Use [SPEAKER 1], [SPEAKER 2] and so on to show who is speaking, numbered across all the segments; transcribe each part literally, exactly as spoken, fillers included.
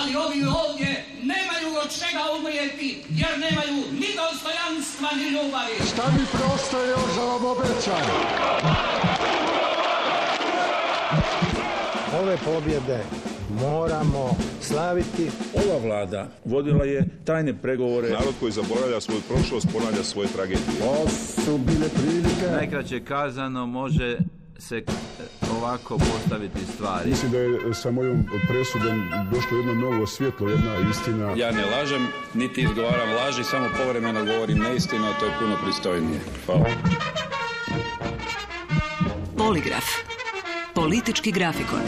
[SPEAKER 1] ali ovi ovdje nemaju od čega umrijeti, jer nemaju ni dostojanstva, ni ljubavi.
[SPEAKER 2] Šta mi preostaje još za vam obećam?
[SPEAKER 3] Ove pobjede moramo slaviti.
[SPEAKER 4] Ova vlada vodila je tajne pregovore.
[SPEAKER 5] Narod koji zaboravlja svoju prošlost ponavlja svoje tragedije.
[SPEAKER 2] Ovo su bile prilike.
[SPEAKER 6] Najkraće kazano može se ovako postaviti stvari.
[SPEAKER 5] Mislim da je sa mojom presudom došlo jedno novo svjetlo, jedna istina.
[SPEAKER 4] Ja ne lažem, niti izgovaram laži, samo povremeno govorim neistinu, a to je puno pristojnije. Hvala.
[SPEAKER 7] Poligraf. Politički grafikon.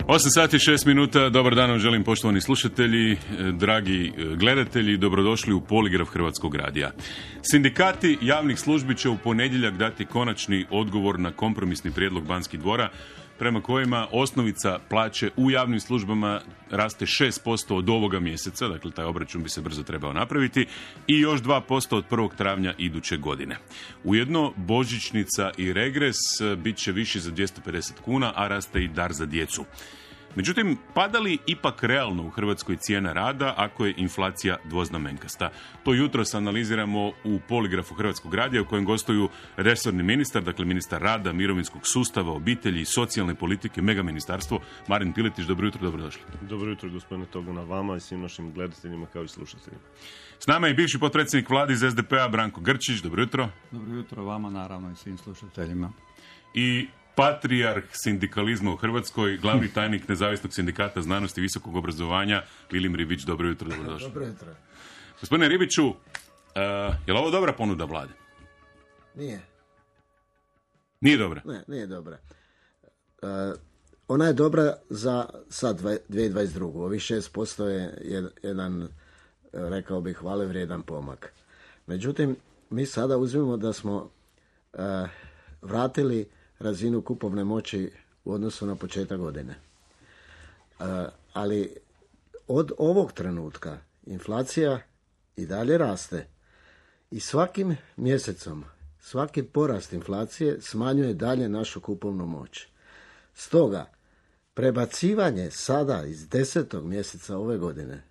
[SPEAKER 8] osam sati i šest minuta, dobar dan vam želim poštovani slušatelji, dragi gledatelji, dobrodošli u Poligraf Hrvatskog radija. Sindikati javnih službi će u ponedjeljak dati konačni odgovor na kompromisni prijedlog Banskih dvora, prema kojima osnovica plaće u javnim službama raste šest posto od ovoga mjeseca, dakle taj obračun bi se brzo trebao napraviti, i još dva posto od prvog travnja iduće godine. Ujedno, božićnica i regres bit će viši za dvjesto pedeset kuna, a raste i dar za djecu. Međutim, pada li ipak realno u Hrvatskoj cijena rada ako je inflacija dvoznamenkasta? To jutros analiziramo u Poligrafu Hrvatskog radija u kojem gostuju resorni ministar, dakle ministar rada, mirovinskog sustava, obitelji i socijalne politike, mega ministarstvo, Marin Piletić. Dobro jutro, dobrodošli.
[SPEAKER 9] Dobro jutro, gospodine Togana, vama i svim našim gledateljima kao i slušateljima.
[SPEAKER 8] S nama je bivši potpredsjednik vlade iz es de pe a Branko Grčić. Dobro jutro.
[SPEAKER 10] Dobro jutro vama, naravno, i svim slušateljima.
[SPEAKER 8] I patrijarh sindikalizma u Hrvatskoj, glavni tajnik Nezavisnog sindikata znanosti i visokog obrazovanja, Vilim Ribić. Dobro jutro, dobrodošli.
[SPEAKER 3] Dobro jutro.
[SPEAKER 8] Gospodine Ribiću, uh, je li ovo dobra ponuda vlade?
[SPEAKER 3] Nije.
[SPEAKER 8] Nije dobra?
[SPEAKER 3] Ne, nije dobra. Uh, ona je dobra za sad dvije tisuće dvadeset drugu. Ovih šest posto je jedan, rekao bih, hvale vrijedan pomak. Međutim, mi sada uzmemo da smo uh, vratili razinu kupovne moći u odnosu na početak godine. Uh, ali od ovog trenutka inflacija i dalje raste i svakim mjesecom, svaki porast inflacije smanjuje dalje našu kupovnu moć. Stoga, prebacivanje sada iz desetog mjeseca ove godine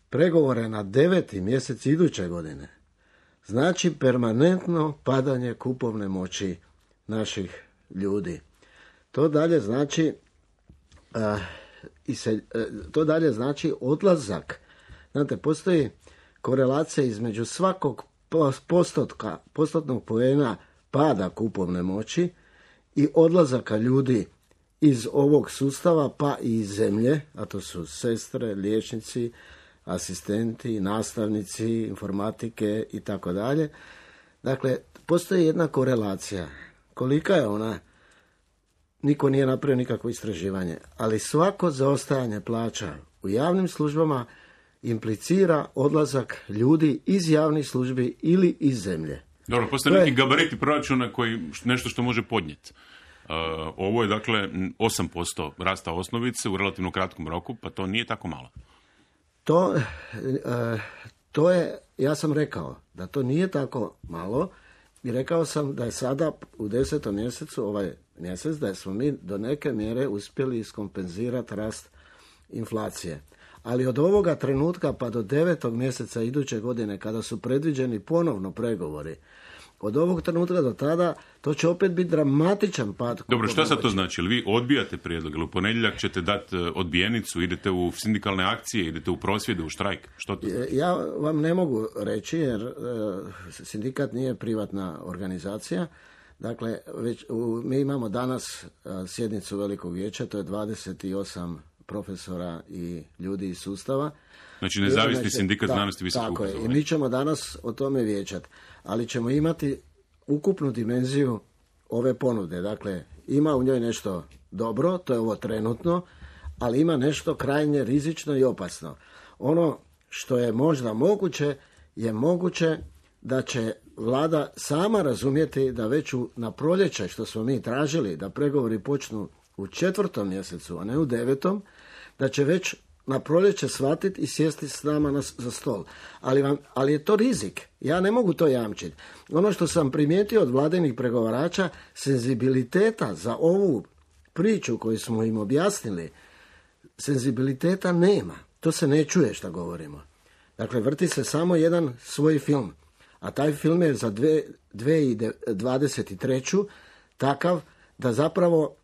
[SPEAKER 3] pregovore na deveti mjesec iduće godine znači permanentno padanje kupovne moći naših ljudi. To dalje znači uh, i se, uh, to dalje znači odlazak. Znate, postoji korelacija između svakog postotka, postotnog poena pada kupovne moći i odlazaka ljudi iz ovog sustava pa i iz zemlje, a to su sestre, liječnici, asistenti, nastavnici, informatike i tako dalje. Dakle, postoji jedna korelacija. Kolika je ona? Niko nije napravio nikakvo istraživanje, ali svako zaostajanje plaća u javnim službama implicira odlazak ljudi iz javnih službi ili iz zemlje.
[SPEAKER 8] Dobro, postoje neki gabariti proračuna koji nešto što može podnijeti. Uh, ovo je dakle osam posto rasta osnovice u relativno kratkom roku, pa to nije tako malo.
[SPEAKER 3] To, uh, to je, ja sam rekao da to nije tako malo i rekao sam da je sada u desetom mjesecu, ovaj mjesec, da smo mi do neke mjere uspjeli iskompenzirati rast inflacije. Ali od ovoga trenutka pa do devetog mjeseca iduće godine, kada su predviđeni ponovno pregovori, od ovog trenutka do tada, to će opet biti dramatičan pad.
[SPEAKER 8] Dobro, šta sad to znači? Ili vi odbijate prijedlog? Ili u ponedjeljak ćete dati odbijenicu, idete u sindikalne akcije, idete u prosvjede, u štrajk? Što to znači?
[SPEAKER 3] Ja vam ne mogu reći, jer uh, sindikat nije privatna organizacija. Dakle, već, u, mi imamo danas uh, sjednicu Velikog vijeća, to je dvadeset osam profesora i ljudi iz sustava.
[SPEAKER 8] Znači nezavisni znači, sindikat
[SPEAKER 3] da,
[SPEAKER 8] znanosti i visokog obrazovanja.
[SPEAKER 3] I mi ćemo danas o tome vijećati, ali ćemo imati ukupnu dimenziju ove ponude. Dakle, ima u njoj nešto dobro, to je ovo trenutno, ali ima nešto krajnje rizično i opasno. Ono što je možda moguće, je moguće da će vlada sama razumjeti da već u, na proljeće, što smo mi tražili, da pregovori počnu u četvrtom mjesecu, a ne u devetom, da će već na proljeće shvatiti i sjesti s nama na, za stol. Ali, vam, ali je to rizik. Ja ne mogu to jamčiti. Ono što sam primijetio od vladinih pregovarača, senzibiliteta za ovu priču koju smo im objasnili, senzibiliteta nema. To se ne čuje što govorimo. Dakle, vrti se samo jedan svoj film. A taj film je za dve tisuće dvadeset treću takav da zapravo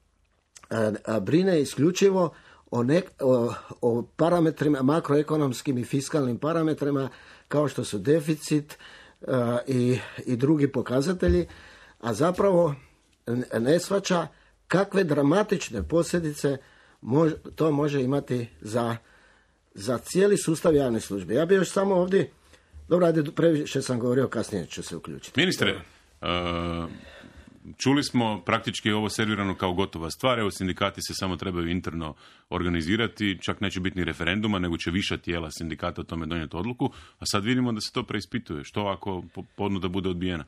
[SPEAKER 3] a, a, brine isključivo o, nek, o, o parametrima, makroekonomskim i fiskalnim parametrima kao što su deficit a, i, i drugi pokazatelji, a zapravo ne shvaća kakve dramatične posljedice mož, to može imati za, za cijeli sustav javne službe. Ja bih još samo ovdje, dobro, ajde, previše sam govorio, kasnije ću se uključiti.
[SPEAKER 8] Ministre, uh, čuli smo praktički ovo servirano kao gotova stvar, evo sindikati se samo trebaju interno organizirati, čak neće biti ni referenduma, nego će viša tijela sindikata o tome donijeti odluku, a sad vidimo da se to preispituje. Što ako ponuda bude odbijena?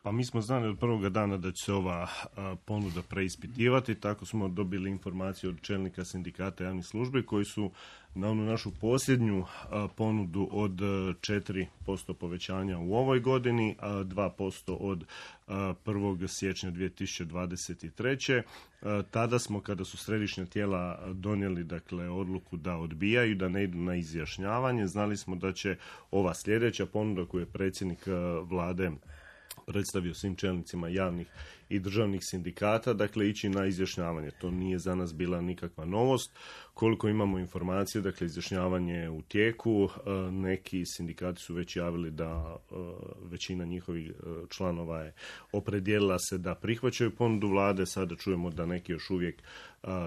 [SPEAKER 9] Pa mi smo znali od prvoga dana da će se ova a, ponuda preispitivati, tako smo dobili informaciju od čelnika sindikata javnih službi koji su na onu našu posljednju a, ponudu od četiri posto povećanja u ovoj godini, a dva posto od a, prvog siječnja dvije tisuće dvadeset treće. A, tada smo, kada su središnja tijela donijeli dakle odluku da odbijaju, da ne idu na izjašnjavanje, znali smo da će ova sljedeća ponuda koju je predsjednik a, vlade predstavio svim čelnicima javnih i državnih sindikata, dakle ići na izjašnjavanje. To nije za nas bila nikakva novost. Koliko imamo informacije, dakle izjašnjavanje je u tijeku. Neki sindikati su već javili da većina njihovih članova je opredijelila se da prihvaćaju ponudu vlade. Sada čujemo da neki još uvijek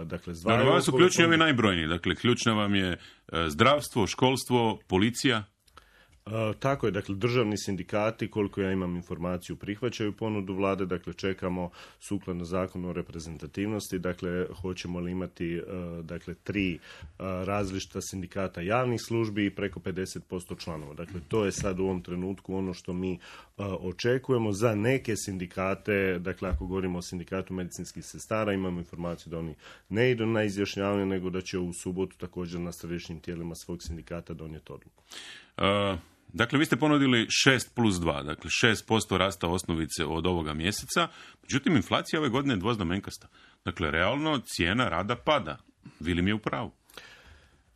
[SPEAKER 9] dakle zvaju.
[SPEAKER 8] Dakle, su ključni ovi najbrojniji. Dakle, ključna vam je zdravstvo, školstvo, policija.
[SPEAKER 9] Uh, tako je, dakle, državni sindikati, koliko ja imam informaciju, prihvaćaju ponudu vlade, dakle, čekamo sukladno zakonu o reprezentativnosti, dakle, hoćemo li imati, uh, dakle, tri uh, različita sindikata javnih službi i preko pedeset posto članova. Dakle, to je sad u ovom trenutku ono što mi uh, očekujemo. Za neke sindikate, dakle, ako govorimo o sindikatu medicinskih sestara, imamo informaciju da oni ne idu na izjašnjavanje, nego da će u subotu također na središnjim tijelima svog sindikata donijeti odluku.
[SPEAKER 8] Uh... Dakle, vi ste ponudili šest plus dva, dakle šest posto rasta osnovice od ovoga mjeseca, međutim, inflacija ove godine je dvoznamenkasta. Dakle, realno cijena rada pada. Vili mi je u pravu?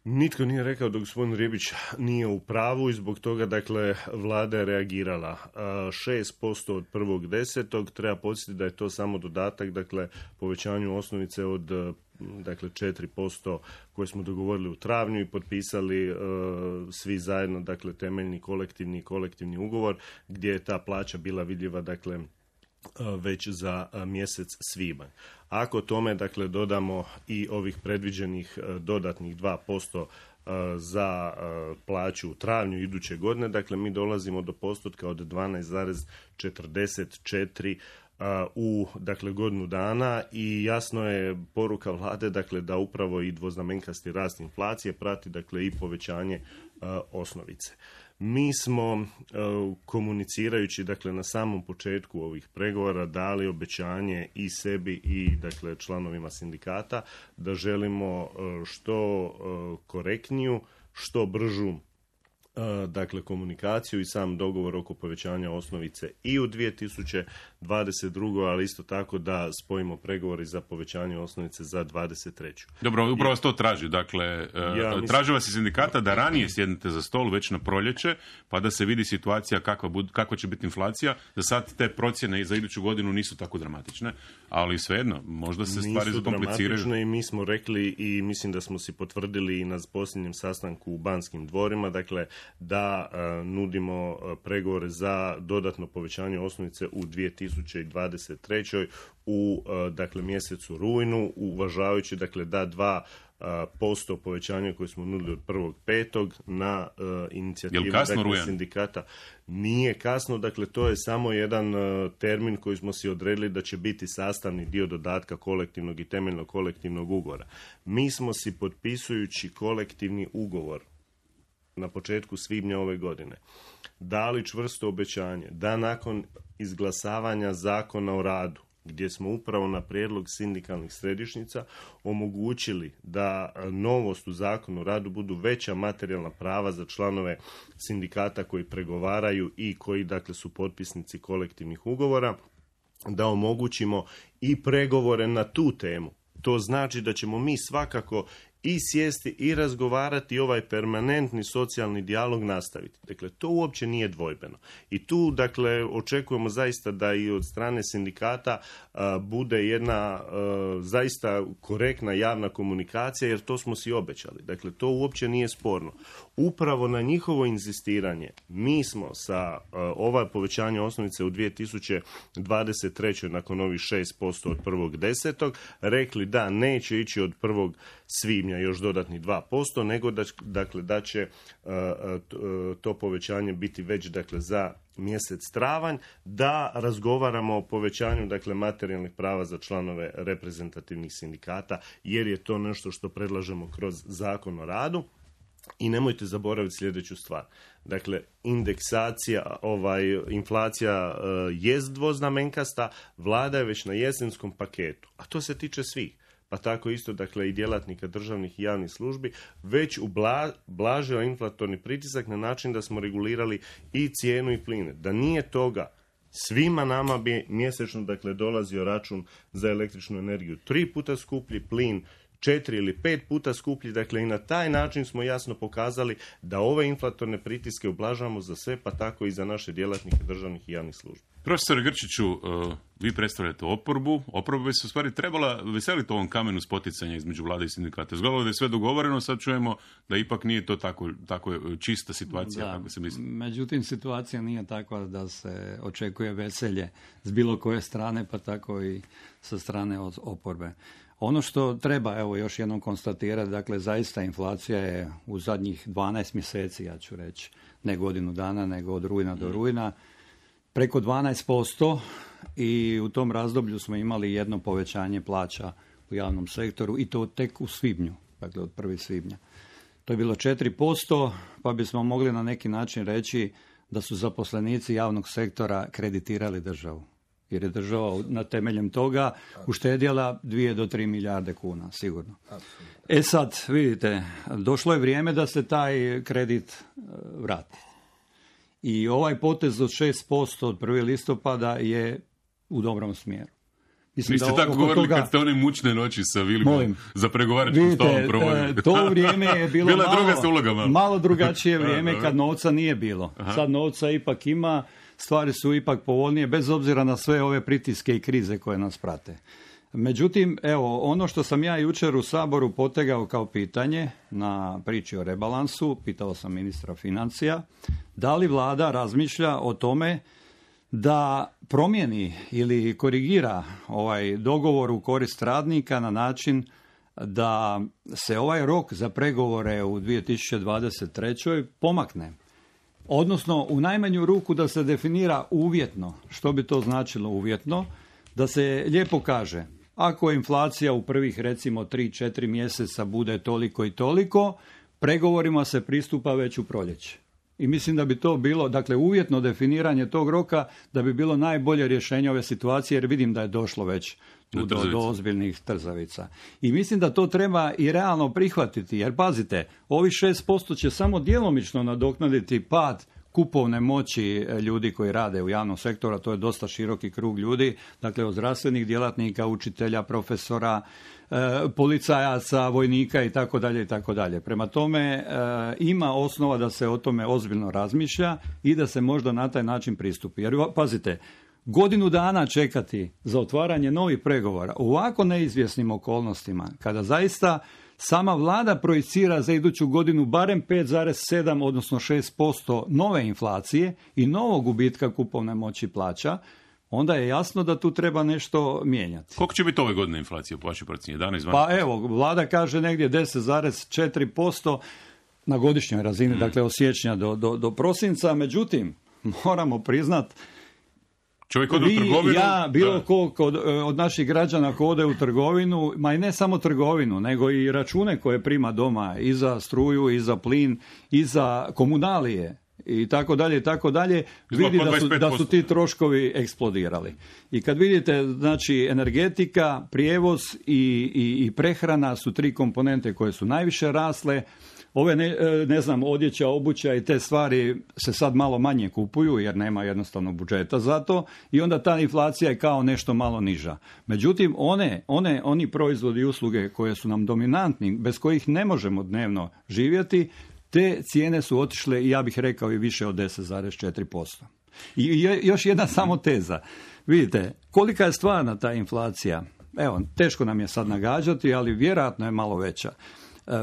[SPEAKER 9] Nitko nije rekao da gospodin Ribić nije u pravu i zbog toga, dakle, vlada je reagirala. šest posto od prvog desetog, treba podsjetiti da je to samo dodatak, dakle, povećanju osnovice od dakle četiri posto koje smo dogovorili u travnju i potpisali uh, svi zajedno, dakle, temeljni kolektivni i kolektivni ugovor gdje je ta plaća bila vidljiva, dakle, uh, već za uh, mjesec svibanj. Ako tome, dakle, dodamo i ovih predviđenih uh, dodatnih dva posto uh, za uh, plaću u travnju iduće godine, dakle, mi dolazimo do postotka od dvanaest zarez četrdeset četiri u, dakle, godinu dana i jasno je poruka vlade, dakle, da upravo i dvoznamenkasti rast inflacije prati, dakle, i povećanje uh, osnovice. Mi smo uh, komunicirajući, dakle, na samom početku ovih pregovora dali obećanje i sebi i, dakle, članovima sindikata da želimo uh, što uh, korektniju, što bržu dakle komunikaciju i sam dogovor oko povećanja osnovice i u dvije tisuće dvadeset drugoj, ali isto tako da spojimo pregovori za povećanje osnovice za dvadeset treću.
[SPEAKER 8] Dobro, upravo vas to traži. Dakle, ja, mislim... traži vas iz sindikata da ranije sjednete za stol već na proljeće, pa da se vidi situacija kakva, bud, kakva će biti inflacija, da sad te procjene za iduću godinu nisu tako dramatične, ali svejedno, možda se
[SPEAKER 9] nisu
[SPEAKER 8] stvari zakompliciraju.
[SPEAKER 9] I mi smo rekli i mislim da smo si potvrdili i na posljednjem sastanku u Banskim dvorima, dakle, da uh, nudimo uh, pregovore za dodatno povećanje osnovice u dvije tisuće dvadeset trećoj u uh, dakle mjesecu rujnu, uvažavajući, dakle, da dva uh, posto povećanja koje smo nudili od prvog petog na uh, inicijativu, dakle, sindikata. Nije kasno, dakle, to je samo jedan uh, termin koji smo si odredili da će biti sastavni dio dodatka kolektivnog i temeljnog kolektivnog ugovora. Mi smo si, potpisujući kolektivni ugovor na početku svibnja ove godine, dali čvrsto obećanje da nakon izglasavanja Zakona o radu, gdje smo upravo na prijedlog sindikalnih središnjica omogućili da novost u Zakonu o radu budu veća materijalna prava za članove sindikata koji pregovaraju i koji, dakle, su potpisnici kolektivnih ugovora, da omogućimo i pregovore na tu temu. To znači da ćemo mi svakako i sjesti i razgovarati i ovaj permanentni socijalni dijalog nastaviti. Dakle, to uopće nije dvojbeno. I tu, dakle, očekujemo zaista da i od strane sindikata a, bude jedna a, zaista korektna javna komunikacija, jer to smo si obećali. Dakle, to uopće nije sporno. Upravo na njihovo inzistiranje mi smo sa a, ova povećanja osnovice u dvije tisuće dvadeset trećoj nakon ovih šest posto od prvog desetog rekli da neće ići od prvog svibnja još dodatni dva posto, nego da, dakle, da će uh, to povećanje biti već, dakle, za mjesec travanj, da razgovaramo o povećanju, dakle, materijalnih prava za članove reprezentativnih sindikata, jer je to nešto što predlažemo kroz Zakon o radu. I nemojte zaboraviti sljedeću stvar. Dakle, indeksacija, ovaj, inflacija uh, jest dvoznamenkasta, vlada je već na jesenskom paketu, a to se tiče svih. Pa tako isto, dakle, i djelatnika državnih i javnih službi, već ublažio inflatorni pritisak na način da smo regulirali i cijenu i pline. Da nije toga, svima nama bi mjesečno, dakle, dolazio račun za električnu energiju tri puta skuplji, plin četiri ili pet puta skuplji, dakle, i na taj način smo jasno pokazali da ove inflatorne pritiske ublažavamo za sve, pa tako i za naše djelatnike državnih i javnih službi.
[SPEAKER 8] Profesor Grčiću, uh, vi predstavljate oporbu. Oporba bi se u stvari trebala veseliti ovom kamenu spoticanja između vlade i sindikata. Zgodilo da je sve dogovoreno, sad čujemo da ipak nije to tako, tako čista situacija,
[SPEAKER 10] da,
[SPEAKER 8] kako se misli.
[SPEAKER 10] Međutim, situacija nije takva da se očekuje veselje s bilo koje strane, pa tako i sa strane od oporbe. Ono što treba, evo, još jednom konstatirati, dakle, zaista inflacija je u zadnjih dvanaest mjeseci, ja ću reći, ne godinu dana, nego od rujna do rujna, preko dvanaest posto, i u tom razdoblju smo imali jedno povećanje plaća u javnom sektoru i to tek u svibnju, dakle od prvog svibnja. To je bilo četiri posto, pa bismo mogli na neki način reći da su zaposlenici javnog sektora kreditirali državu. Jer je država na temeljem toga uštedjela dvije do tri milijarde kuna, sigurno. E sad, vidite, došlo je vrijeme da se taj kredit vrati. I ovaj potez od šest posto od prvog listopada je u dobrom smjeru.
[SPEAKER 8] Mislim, niste tako govorili toga, kad ste one mučne noći sa Vilimom za pregovaračkim stolom provodili.
[SPEAKER 10] To vrijeme je bilo
[SPEAKER 8] Bila
[SPEAKER 10] malo,
[SPEAKER 8] druga uloga, malo.
[SPEAKER 10] malo drugačije vrijeme kad novca nije bilo. Aha. Sad novca ipak ima, stvari su ipak povoljnije, bez obzira na sve ove pritiske i krize koje nas prate. Međutim, evo, ono što sam ja jučer u Saboru potegao kao pitanje na priči o rebalansu, pitao sam ministra financija, da li vlada razmišlja o tome da promijeni ili korigira ovaj dogovor u korist radnika na način da se ovaj rok za pregovore u dvije tisuće dvadeset trećoj pomakne. Odnosno, u najmanju ruku da se definira uvjetno. Što bi to značilo uvjetno? Da se lijepo kaže, ako inflacija u prvih, recimo, tri četiri mjeseca bude toliko i toliko, pregovorima se pristupa već u proljeće. I mislim da bi to bilo, dakle, uvjetno definiranje tog roka, da bi bilo najbolje rješenje ove situacije, jer vidim da je došlo već do, do, do ozbiljnih trzavica. I mislim da to treba i realno prihvatiti, jer pazite, ovi šest posto će samo djelomično nadoknaditi pad kupovne moći ljudi koji rade u javnom sektoru, to je dosta široki krug ljudi, dakle od zdravstvenih djelatnika, učitelja, profesora, e, policajaca, vojnika i tako dalje i tako dalje. Prema tome e, ima osnova da se o tome ozbiljno razmišlja i da se možda na taj način pristupi. Jer pazite, godinu dana čekati za otvaranje novih pregovora u ovako neizvjesnim okolnostima, kada zaista sama vlada projicira za iduću godinu barem pet zarez sedam odnosno šest posto nove inflacije i novog gubitka kupovne moći plaća, onda je jasno da tu treba nešto mijenjati.
[SPEAKER 8] Koliko će biti ove godine inflacija po vašoj procjeni? jedanaest dvanaest
[SPEAKER 10] Pa evo, vlada kaže negdje deset zarez četiri posto na godišnjoj razini, mm. dakle od siječnja do, do, do prosinca, međutim, moramo priznat,
[SPEAKER 8] čovjek ode u trgovinu.
[SPEAKER 10] Ja, bilo ko kod, od naših građana ko ode u trgovinu, ma i ne samo trgovinu, nego i račune koje prima doma i za struju, i za plin, i za komunalije, i tako dalje i tako dalje, vidi da su, da su ti troškovi eksplodirali. I kad vidite, znači, energetika, prijevoz i, i, i prehrana su tri komponente koje su najviše rasle. Ove, ne, ne znam, odjeća, obuća i te stvari se sad malo manje kupuju jer nema jednostavno budžeta za to i onda ta inflacija je kao nešto malo niža. Međutim, one, one, oni proizvodi i usluge koje su nam dominantni, bez kojih ne možemo dnevno živjeti, te cijene su otišle, ja bih rekao, i više od deset zarez četiri posto. I još jedna samo teza. Vidite, kolika je stvarna ta inflacija? Evo, teško nam je sad nagađati, ali vjerojatno je malo veća.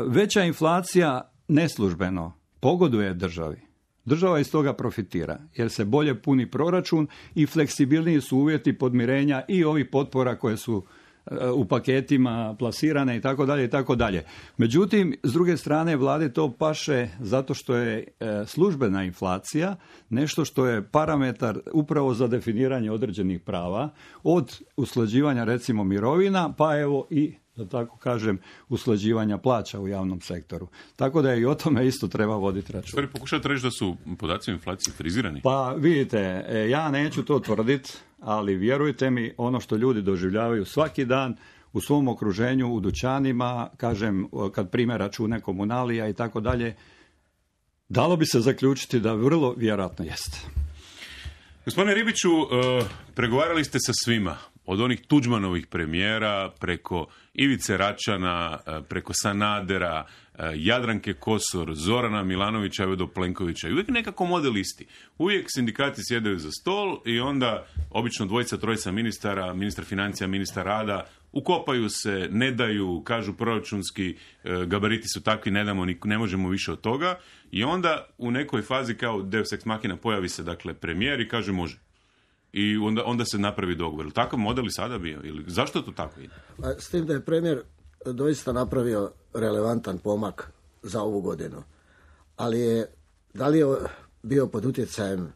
[SPEAKER 10] Veća inflacija neslužbeno pogoduje državi. Država iz toga profitira jer se bolje puni proračun i fleksibilniji su uvjeti podmirenja i ovih potpora koje su u paketima plasirane i tako dalje i tako dalje. Međutim, s druge strane, vlade to paše zato što je službena inflacija nešto što je parametar upravo za definiranje određenih prava, od usklađivanja recimo mirovina, pa evo i, da tako kažem, usklađivanja plaća u javnom sektoru. Tako da i o tome isto treba voditi račun.
[SPEAKER 8] Stvari, pokušate reći da su podaci o inflaciji frizirani?
[SPEAKER 10] Pa vidite, ja neću to tvrditi, ali vjerujte mi, ono što ljudi doživljavaju svaki dan u svom okruženju, u dućanima, kažem, kad prime račune komunalija i tako dalje, dalo bi se zaključiti da vrlo vjerojatno jeste.
[SPEAKER 8] Gospodine Ribiću, pregovarali ste sa svima, od onih Tuđmanovih premijera, preko Ivice Račana, preko Sanadera, Jadranke Kosor, Zorana Milanovića, evo do Plenkovića. I uvijek nekako model isti. Uvijek sindikati sjedaju za stol i onda obično dvojica, trojica ministara, ministar financija, ministar rada, ukopaju se, ne daju, kažu proračunski gabariti su takvi, ne damo, ne možemo više od toga. I onda u nekoj fazi kao Deus ex machina pojavi se, dakle, premijer i kaže može. I onda, onda se napravi dogovor. Takav model i sada bio? Ili zašto to tako ide?
[SPEAKER 3] S tim da je premijer doista napravio relevantan pomak za ovu godinu. Ali je, da li je bio pod utjecajem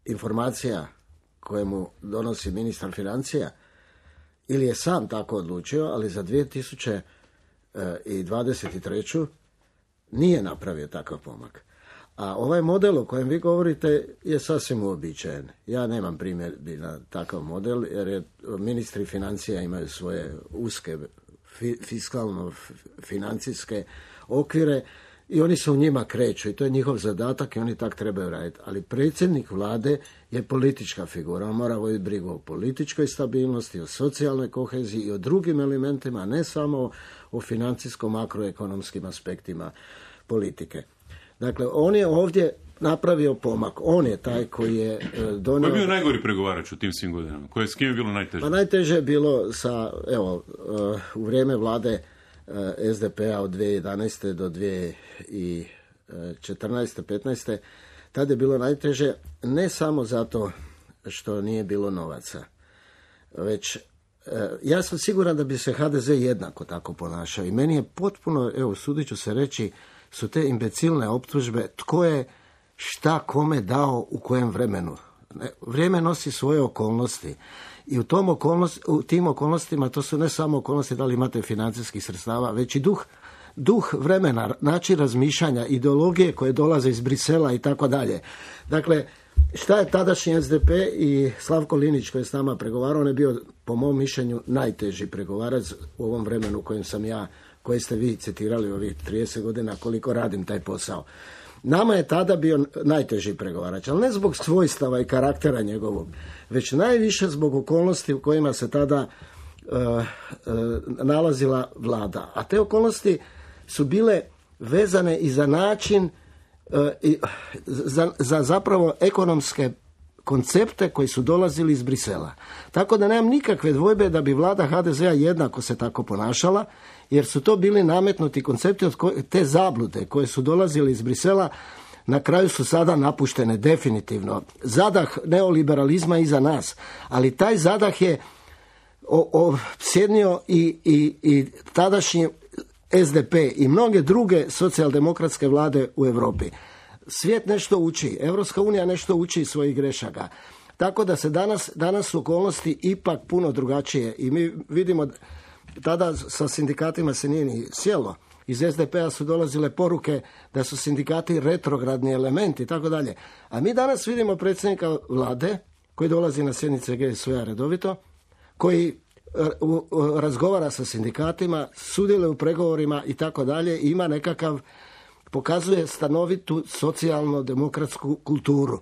[SPEAKER 3] informacija koje mu donosi ministar financija ili je sam tako odlučio, ali za dvije tisuće dvadeset treću nije napravio takav pomak. A ovaj model o kojem vi govorite je sasvim uobičajen. Ja nemam primjedbi na takav model, jer je, ministri financija imaju svoje uske fi, fiskalno-financijske okvire i oni se u njima kreću i to je njihov zadatak i oni tak trebaju raditi. Ali predsjednik vlade je politička figura. On mora voditi brigu o političkoj stabilnosti, o socijalnoj koheziji i o drugim elementima, a ne samo o financijsko-makroekonomskim aspektima politike. Dakle, on je ovdje napravio pomak. On je taj koji je donio...
[SPEAKER 8] Ko je bio najgori pregovarač u tim svim godinama? Koje, s kim je bilo najteže?
[SPEAKER 3] Pa najteže je bilo sa, evo, u vrijeme vlade es de pe a od dvije tisuće jedanaeste do dvije tisuće četrnaeste petnaeste Tad je bilo najteže ne samo zato što nije bilo novaca, već ja sam siguran da bi se ha de ze jednako tako ponašao. I meni je potpuno, evo, sudit ću se reći, su te imbecilne optužbe tko je šta kome dao u kojem vremenu. Vrijeme nosi svoje okolnosti i u, tom okolnosti, u tim okolnostima to su ne samo okolnosti da li imate financijskih sredstava, već i duh, duh vremena, način razmišljanja, ideologije koje dolaze iz Brisela i tako dalje. Dakle, šta je tadašnji es de pe i Slavko Linić koji je s nama pregovarao, on je bio po mom mišljenju najteži pregovarac u ovom vremenu kojem sam ja, koje ste vi citirali ovih trideset godina koliko radim taj posao. Nama je tada bio najteži pregovarač, ali ne zbog svojstava i karaktera njegovog, već najviše zbog okolnosti u kojima se tada uh, uh, nalazila vlada. A te okolnosti su bile vezane i za način, uh, i, za, za zapravo ekonomske koncepte koji su dolazili iz Brisela. Tako da nemam nikakve dvojbe da bi vlada ha de ze a jednako se tako ponašala, jer su to bili nametnuti koncepti od koje, te zablude koje su dolazili iz Brisela, na kraju su sada napuštene definitivno. Zadah neoliberalizma iza nas, ali taj zadah je sjednio i, i, i tadašnji es de pe i mnoge druge socijaldemokratske vlade u Europi. Svijet nešto uči, Europska unija nešto uči iz svojih grešaka. Tako da se danas, danas su okolnosti ipak puno drugačije i mi vidimo tada sa sindikatima se nije ni sjelo, iz es de pe a su dolazile poruke da su sindikati retrogradni elementi i tako dalje. A mi danas vidimo predsjednika vlade koji dolazi na sjednice ge es u-a redovito, koji razgovara sa sindikatima, sudjeluje u pregovorima i tako dalje, ima nekakav, pokazuje stanovitu socijalno-demokratsku kulturu.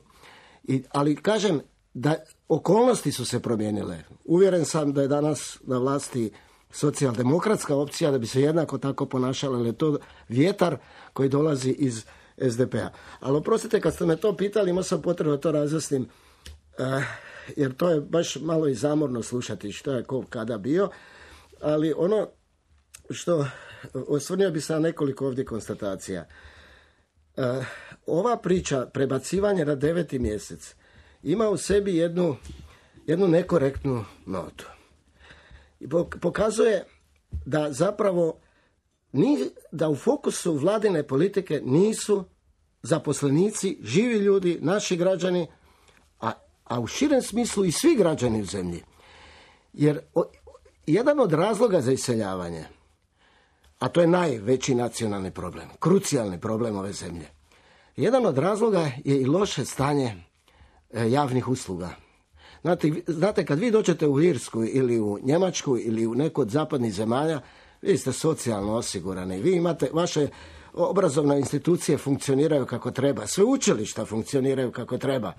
[SPEAKER 3] I, ali kažem da okolnosti su se promijenile. Uvjeren sam da je danas na vlasti socijaldemokratska opcija, da bi se jednako tako ponašala, ali je to vjetar koji dolazi iz es de pe a. Ali oprostite, kad ste me to pitali, imao sam potrebu da to razjasnim, uh, jer to je baš malo i zamorno slušati što je ko kada bio, ali ono što osvrnio bi se na nekoliko ovdje konstatacija. Uh, ova priča prebacivanje na deveti mjesec ima u sebi jednu, jednu nekorektnu notu. I pokazuje da zapravo ni, da u fokusu vladine politike nisu zaposlenici, živi ljudi, naši građani, a, a u širem smislu i svi građani u zemlji. Jer o, jedan od razloga za iseljavanje, a to je najveći nacionalni problem, krucijalni problem ove zemlje, jedan od razloga je i loše stanje e, javnih usluga. Znate, znate, kad vi dođete u Irsku ili u Njemačku ili u neku od zapadnih zemalja, vi ste socijalno osigurani, vi imate, vaše obrazovne institucije funkcioniraju kako treba, sveučilišta funkcioniraju kako treba.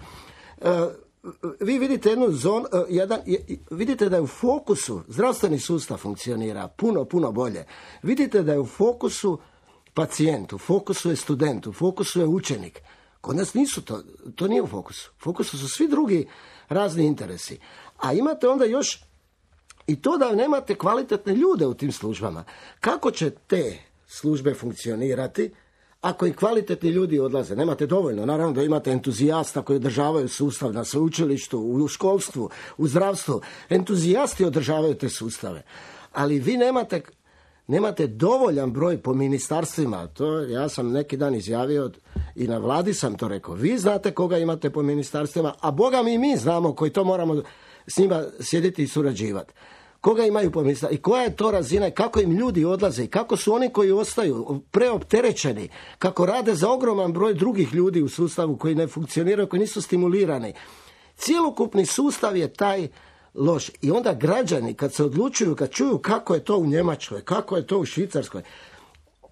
[SPEAKER 3] E, vi vidite jednu zonu, jedan, vidite da je u fokusu, zdravstveni sustav funkcionira puno, puno bolje. Vidite da je u fokusu pacijent, u fokusu je student, u fokusu je učenik. Kod nas nisu to, to nije u fokusu. U fokusu su svi drugi razni interesi. A imate onda još i to da nemate kvalitetne ljude u tim službama. Kako će te službe funkcionirati ako i kvalitetni ljudi odlaze? Nemate dovoljno. Naravno da imate entuzijasta koji održavaju sustav na sveučilištu, u školstvu, u zdravstvu. Entuzijasti održavaju te sustave. Ali vi nemate, nemate dovoljan broj po ministarstvima. To ja sam neki dan izjavio i na vladi sam to rekao. Vi znate koga imate po ministarstvima, a Boga mi mi znamo koji to moramo s njima sjediti i surađivati. Koga imaju po ministarstvima i koja je to razina i kako im ljudi odlaze i kako su oni koji ostaju preopterećeni, kako rade za ogroman broj drugih ljudi u sustavu koji ne funkcioniraju, koji nisu stimulirani. Cijelokupni sustav je taj loš. I onda građani kad se odlučuju, kad čuju kako je to u Njemačkoj, kako je to u Švicarskoj,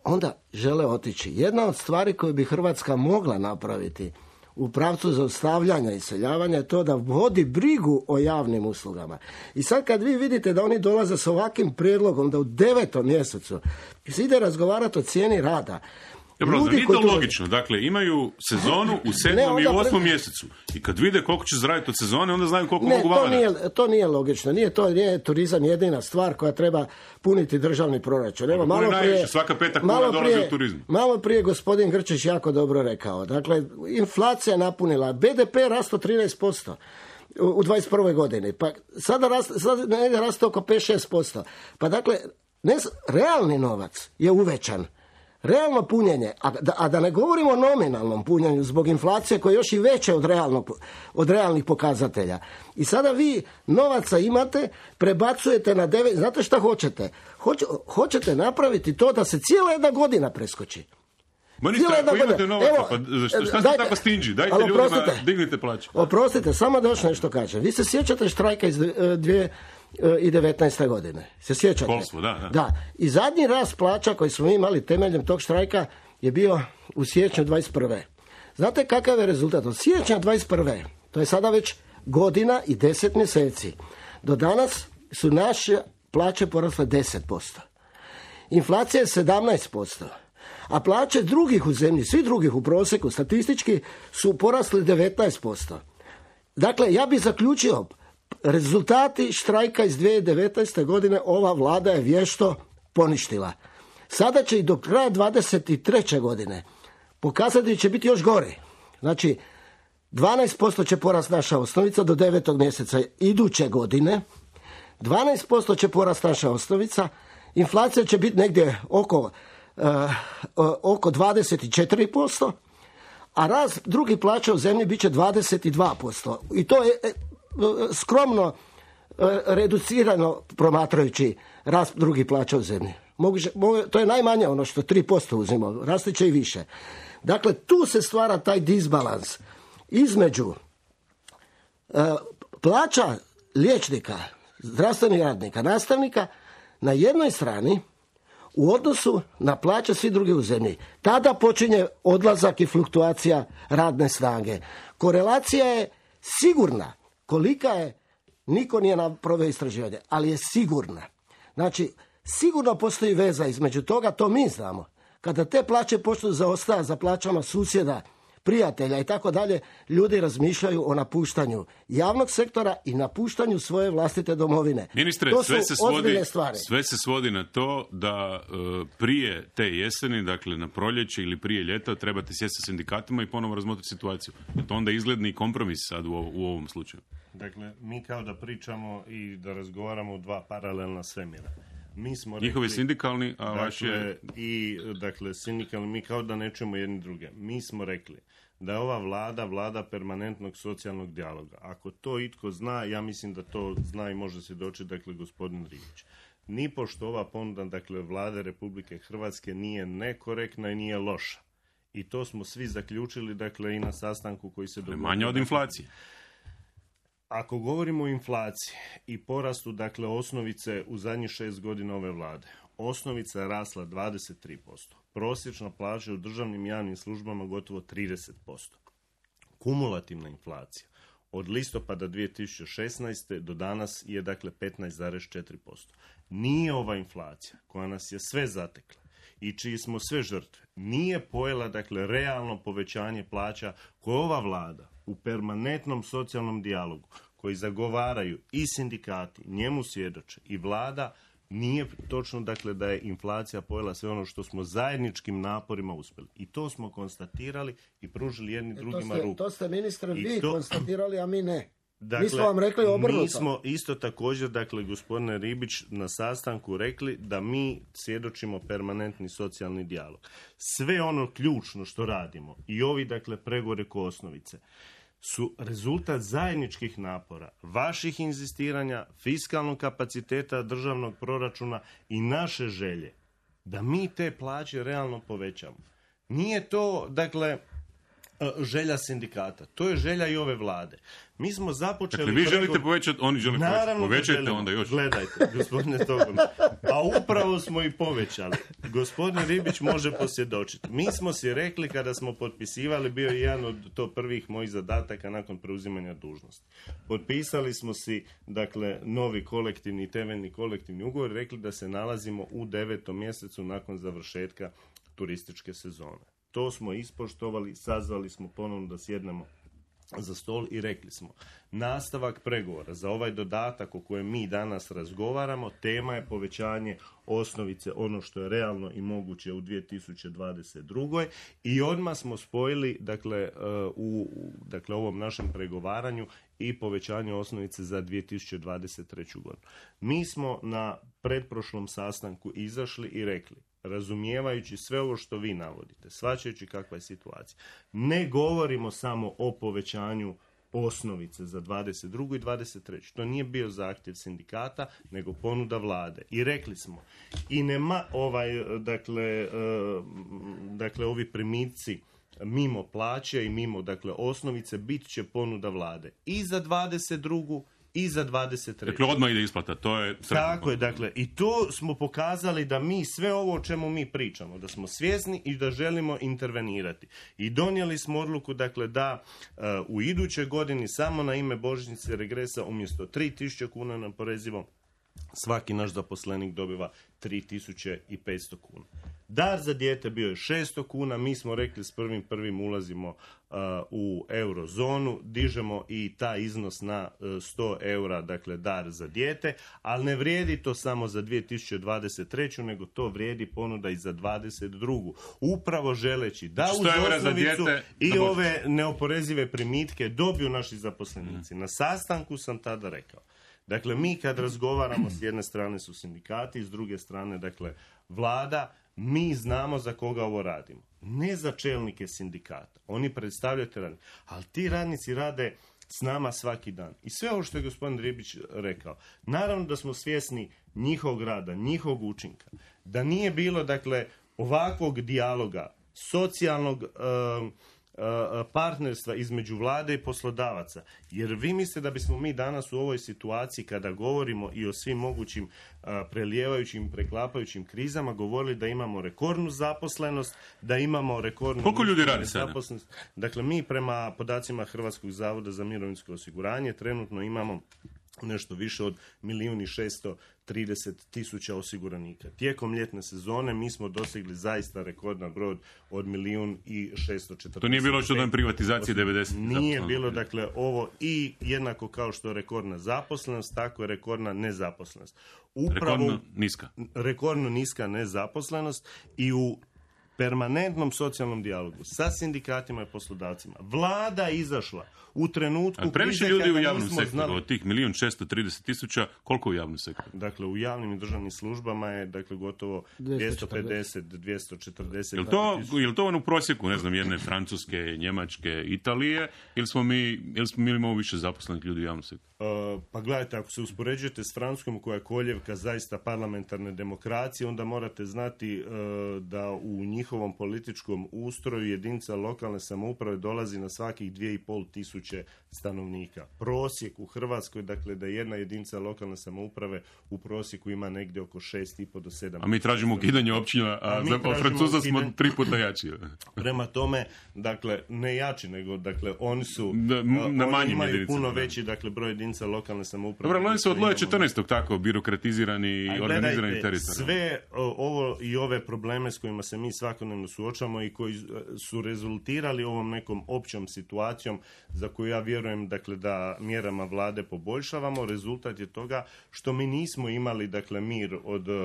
[SPEAKER 3] onda žele otići. Jedna od stvari koju bi Hrvatska mogla napraviti u pravcu zaustavljanja i iseljavanja je to da vodi brigu o javnim uslugama. I sad kad vi vidite da oni dolaze s ovakvim prijedlogom da u devetom mjesecu se ide razgovarati o cijeni rada.
[SPEAKER 8] Dobro, zar nije to logično? Dakle, imaju sezonu u sedmom ne, i osmom pre... mjesecu. I kad vide koliko će zaraditi od sezone, onda znaju koliko
[SPEAKER 3] ne,
[SPEAKER 8] mogu vama
[SPEAKER 3] to nije, to nije logično. Nije to nije turizam jedina stvar koja treba puniti državni proračun. Evo, malo prije,
[SPEAKER 8] svaka peta kuna dolazi u turizmu.
[SPEAKER 3] Malo prije gospodin Grčić jako dobro rekao. Dakle, inflacija napunila. be de pe rasto trinaest posto. U dvadeset prvoj godini. Pa sada raste, sada raste oko pet do šest posto. Pa dakle, ne, realni novac je uvećan. Realno punjenje, a da, a da ne govorimo o nominalnom punjenju zbog inflacije koja je još i veća od, realnog, od realnih pokazatelja. I sada vi novaca imate, prebacujete na devet, znate šta hoćete? Hoće, hoćete napraviti to da se cijela jedna godina preskoči.
[SPEAKER 8] Ministar, ako imate novaca, pa šta, šta ste tako stinđi? Dajte ljudima, oprostite, dignite plaće.
[SPEAKER 3] Oprostite, samo da još nešto kažem. Vi se sjećate štrajka iz dvije tisuće devetnaeste. godine. Se sjećate?
[SPEAKER 8] Školstvo, da, da.
[SPEAKER 3] Da. I zadnji rast plaća koji smo imali temeljem tog štrajka je bio u siječnju dvadeset prve. Znate kakav je rezultat? Od siječnja dvadeset prve. To je sada već godina i deset mjeseci. Do danas su naše plaće porasle deset posto. Inflacija je sedamnaest posto. A plaće drugih u zemlji, svi drugih u prosjeku, statistički, su porasli devetnaest posto. Dakle, ja bih zaključio, rezultati štrajka iz dvije tisuće devetnaeste. godine ova vlada je vješto poništila. Sada će i do kraja dvadeset treće. godine pokazati će biti još gori. Znači, dvanaest posto će porast naša osnovica do devetog mjeseca iduće godine, dvanaest posto će porast naša osnovica, inflacija će biti negdje oko Uh, oko dvadeset četiri posto, a rast drugih plaća u zemlji bit će dvadeset dva posto. I to je uh, skromno uh, reducirano promatrajući rast drugih plaća u zemlji.
[SPEAKER 11] Moguće, to je najmanje ono što tri posto uzima, rasti će i više. Dakle, tu se stvara taj disbalans između uh, plaća liječnika, zdravstvenih radnika, nastavnika na jednoj strani u odnosu na plaće svi drugi u zemlji. Tada počinje odlazak i fluktuacija radne snage. Korelacija je sigurna. Kolika je, niko nije napravio istraživanje, ali je sigurna. Znači, sigurno postoji veza između toga, to mi znamo. Kada te plaće počnu zaostajati za plaćama susjeda, prijatelja i tako dalje, ljudi razmišljaju o napuštanju javnog sektora i napuštanju svoje vlastite domovine.
[SPEAKER 8] Ministre,
[SPEAKER 11] to
[SPEAKER 8] sve
[SPEAKER 11] su
[SPEAKER 8] se, svodi,
[SPEAKER 11] stvari.
[SPEAKER 8] sve se svodi na to da uh, prije te jeseni, dakle na proljeće ili prije ljeta, trebate sjesti sa sindikatima i ponovo razmotriti situaciju. Je to onda izgledni kompromis sad u, u ovom slučaju?
[SPEAKER 9] Dakle, mi kao da pričamo i da razgovaramo o dva paralelna svemira. Mi smo rekli,
[SPEAKER 8] njihovi sindikalni, a
[SPEAKER 9] dakle,
[SPEAKER 8] vaš je...
[SPEAKER 9] I, dakle, sindikalni, mi kao da ne čujemo jedni druge. Mi smo rekli da je ova vlada vlada permanentnog socijalnog dijaloga. Ako to itko zna, ja mislim da to zna i može se doći, dakle, gospodin Ribić. Nipošto ova ponuda, dakle, vlade Republike Hrvatske nije nekorektna i nije loša. I to smo svi zaključili, dakle, i na sastanku koji se dogodio.
[SPEAKER 8] Manje od inflacije.
[SPEAKER 9] Ako govorimo o inflaciji i porastu, dakle, osnovice u zadnjih šest godina ove vlade, osnovica je rasla dvadeset tri posto. Prosječna plaća u državnim javnim službama gotovo trideset posto. Kumulativna inflacija od listopada dvije tisuće šesnaeste do danas je, dakle, petnaest zarez četiri posto. Nije ova inflacija koja nas je sve zatekla i čiji smo sve žrtve, nije pojela, dakle, realno povećanje plaća koje ova vlada u permanentnom socijalnom dijalogu koji zagovaraju i sindikati, njemu svjedoče i vlada, nije točno, dakle, da je inflacija pojela sve ono što smo zajedničkim naporima uspjeli. I to smo konstatirali i pružili jedni
[SPEAKER 11] e,
[SPEAKER 9] drugima
[SPEAKER 11] to ste,
[SPEAKER 9] ruku.
[SPEAKER 11] To ste, ministre,
[SPEAKER 9] I
[SPEAKER 11] vi
[SPEAKER 9] to...
[SPEAKER 11] konstatirali, a mi ne.
[SPEAKER 9] Dakle,
[SPEAKER 11] mi smo vam rekli obrnuto.
[SPEAKER 9] Mi smo isto također, dakle, gospodine Ribić, na sastanku rekli da mi svjedočimo permanentni socijalni dijalog. Sve ono ključno što radimo i ovi, dakle, pregovori oko osnovice su rezultat zajedničkih napora, vaših inzistiranja, fiskalnog kapaciteta državnog proračuna i naše želje da mi te plaće realno povećamo. Nije to, dakle, želja sindikata. To je želja i ove vlade. Mi smo započeli...
[SPEAKER 8] Dakle, vi želite pregovor... povećati, oni žele povećati. Povećajte onda još.
[SPEAKER 9] Gledajte, gospodine Togon. A upravo smo i povećali. Gospodin Ribić može posvjedočiti. Mi smo si rekli kada smo potpisivali, bio je jedan od to prvih mojih zadataka nakon preuzimanja dužnosti. Potpisali smo si, dakle, novi kolektivni i temeljni kolektivni ugovor, rekli da se nalazimo u devetom mjesecu nakon završetka turističke sezone. To smo ispoštovali, sazvali smo ponovno da sjednemo za stol i rekli smo, nastavak pregovora za ovaj dodatak o kojem mi danas razgovaramo, tema je povećanje osnovice, ono što je realno i moguće u dvije tisuće dvadeset drugoj i odmah smo spojili, dakle, u dakle, ovom našem pregovaranju i povećanje osnovice za dvije tisuće dvadeset treću godinu. Mi smo na pretprošlom sastanku izašli i rekli, razumijevajući sve ovo što vi navodite, shvaćajući kakva je situacija, ne govorimo samo o povećanju osnovice za dvadeset drugu i dvadeset treću. To nije bio zahtjev sindikata, nego ponuda vlade. I rekli smo, i nema ovaj, dakle, dakle, ovi primici mimo plaće i mimo, dakle, osnovice bit će ponuda vlade i za dvadeset drugu i za dvadeset treću.
[SPEAKER 8] Dakle, odmah ide isplata, to je sretno.
[SPEAKER 9] Tako je, dakle, i to smo pokazali da mi sve ovo o čemu mi pričamo, da smo svjesni i da želimo intervenirati. I donijeli smo odluku, dakle, da uh, u idućoj godini samo na ime božićnice regresa umjesto tri tisuće kuna na oporezivo, svaki naš zaposlenik dobiva tri tisuće petsto kuna. Dar za dijete bio je šesto kuna, mi smo rekli s prvim prvim ulazimo uh, u eurozonu, dižemo i taj iznos na uh, sto eura, dakle dar za dijete, ali ne vrijedi to samo za dvije tisuće dvadeset treću, nego to vrijedi ponuda i za dvadeset drugu. Upravo želeći da uz osnovicu i ove neoporezive primitke dobiju naši zaposlenici. Na sastanku sam tada rekao, dakle, mi kad razgovaramo, s jedne strane su sindikati, s druge strane, dakle, vlada, mi znamo za koga ovo radimo. Ne za čelnike sindikata. Oni predstavljaju te radnike. Ali ti radnici rade s nama svaki dan. I sve ovo što je gospodin Ribić rekao, naravno da smo svjesni njihovog rada, njihovog učinka, da nije bilo, dakle, ovakvog dijaloga, socijalnog um, partnerstva između vlade i poslodavaca. Jer vi mislite da bismo mi danas u ovoj situaciji, kada govorimo i o svim mogućim a, prelijevajućim, preklapajućim krizama, govorili da imamo rekordnu zaposlenost, da imamo rekordnu...
[SPEAKER 8] Koliko ljudi radi sada?
[SPEAKER 9] Dakle, mi prema podacima Hrvatskog zavoda za mirovinsko osiguranje trenutno imamo nešto više od milijun i šesto trideset tisuća osiguranika. Tijekom ljetne sezone mi smo dosegli zaista rekordan broj od milijun i šesto četrdeset.
[SPEAKER 8] To nije bilo što dan privatizacije devedeset.
[SPEAKER 9] Nije bilo, dakle, ovo i jednako kao što je rekordna zaposlenost, tako je rekordna nezaposlenost. Upravo,
[SPEAKER 8] rekordno niska.
[SPEAKER 9] Rekordno niska nezaposlenost i u permanentnom socijalnom dijalogu sa sindikatima i poslodavcima. Vlada je izašla u trenutku...
[SPEAKER 8] A previše ljudi u javnom sektoru, znali... od tih milijun šesto trideset tisuća, koliko u javnom sektoru?
[SPEAKER 9] Dakle, u javnim i državnim službama je, dakle, gotovo dvjesto pedeset do dvjesto četrdeset.
[SPEAKER 8] Je li to, je to ono u prosjeku, ne znam, jedne Francuske, Njemačke, Italije, ili smo mi, ili smo mi imamo više zaposlenih ljudi u javnom sektoru?
[SPEAKER 9] Uh, pa gledajte, ako se uspoređujete s Francuskom, koja je koljevka zaista parlamentarne demokracije, onda morate znati uh, da u njihovom političkom ustroju jedinica lokalne samouprave dolazi na svakih dvije i pol tisuće stanovnika. Prosjek u Hrvatskoj, dakle, da jedna jedinica lokalne samouprave u prosjeku ima negdje oko šest i pol do sedam.
[SPEAKER 8] A mi tražimo ukidanje općina, a, a za Francuza ukidanje... smo tri puta jači.
[SPEAKER 9] Prema tome, dakle, ne jači, nego, dakle, oni su,
[SPEAKER 8] da, na
[SPEAKER 9] oni imaju puno veći, dakle, broj jedinica lokalne samouprave.
[SPEAKER 8] Dobro, oni su od Loja četrnaestog tako birokratizirani i organizirani teritorij.
[SPEAKER 9] Sve ovo i ove probleme s kojima se mi svakodnevno suočamo i koji su rezultirali ovom nekom općom situacijom za koju ja vjerujem, dakle, da mjerama vlade poboljšavamo, rezultat je toga što mi nismo imali, dakle, mir od uh,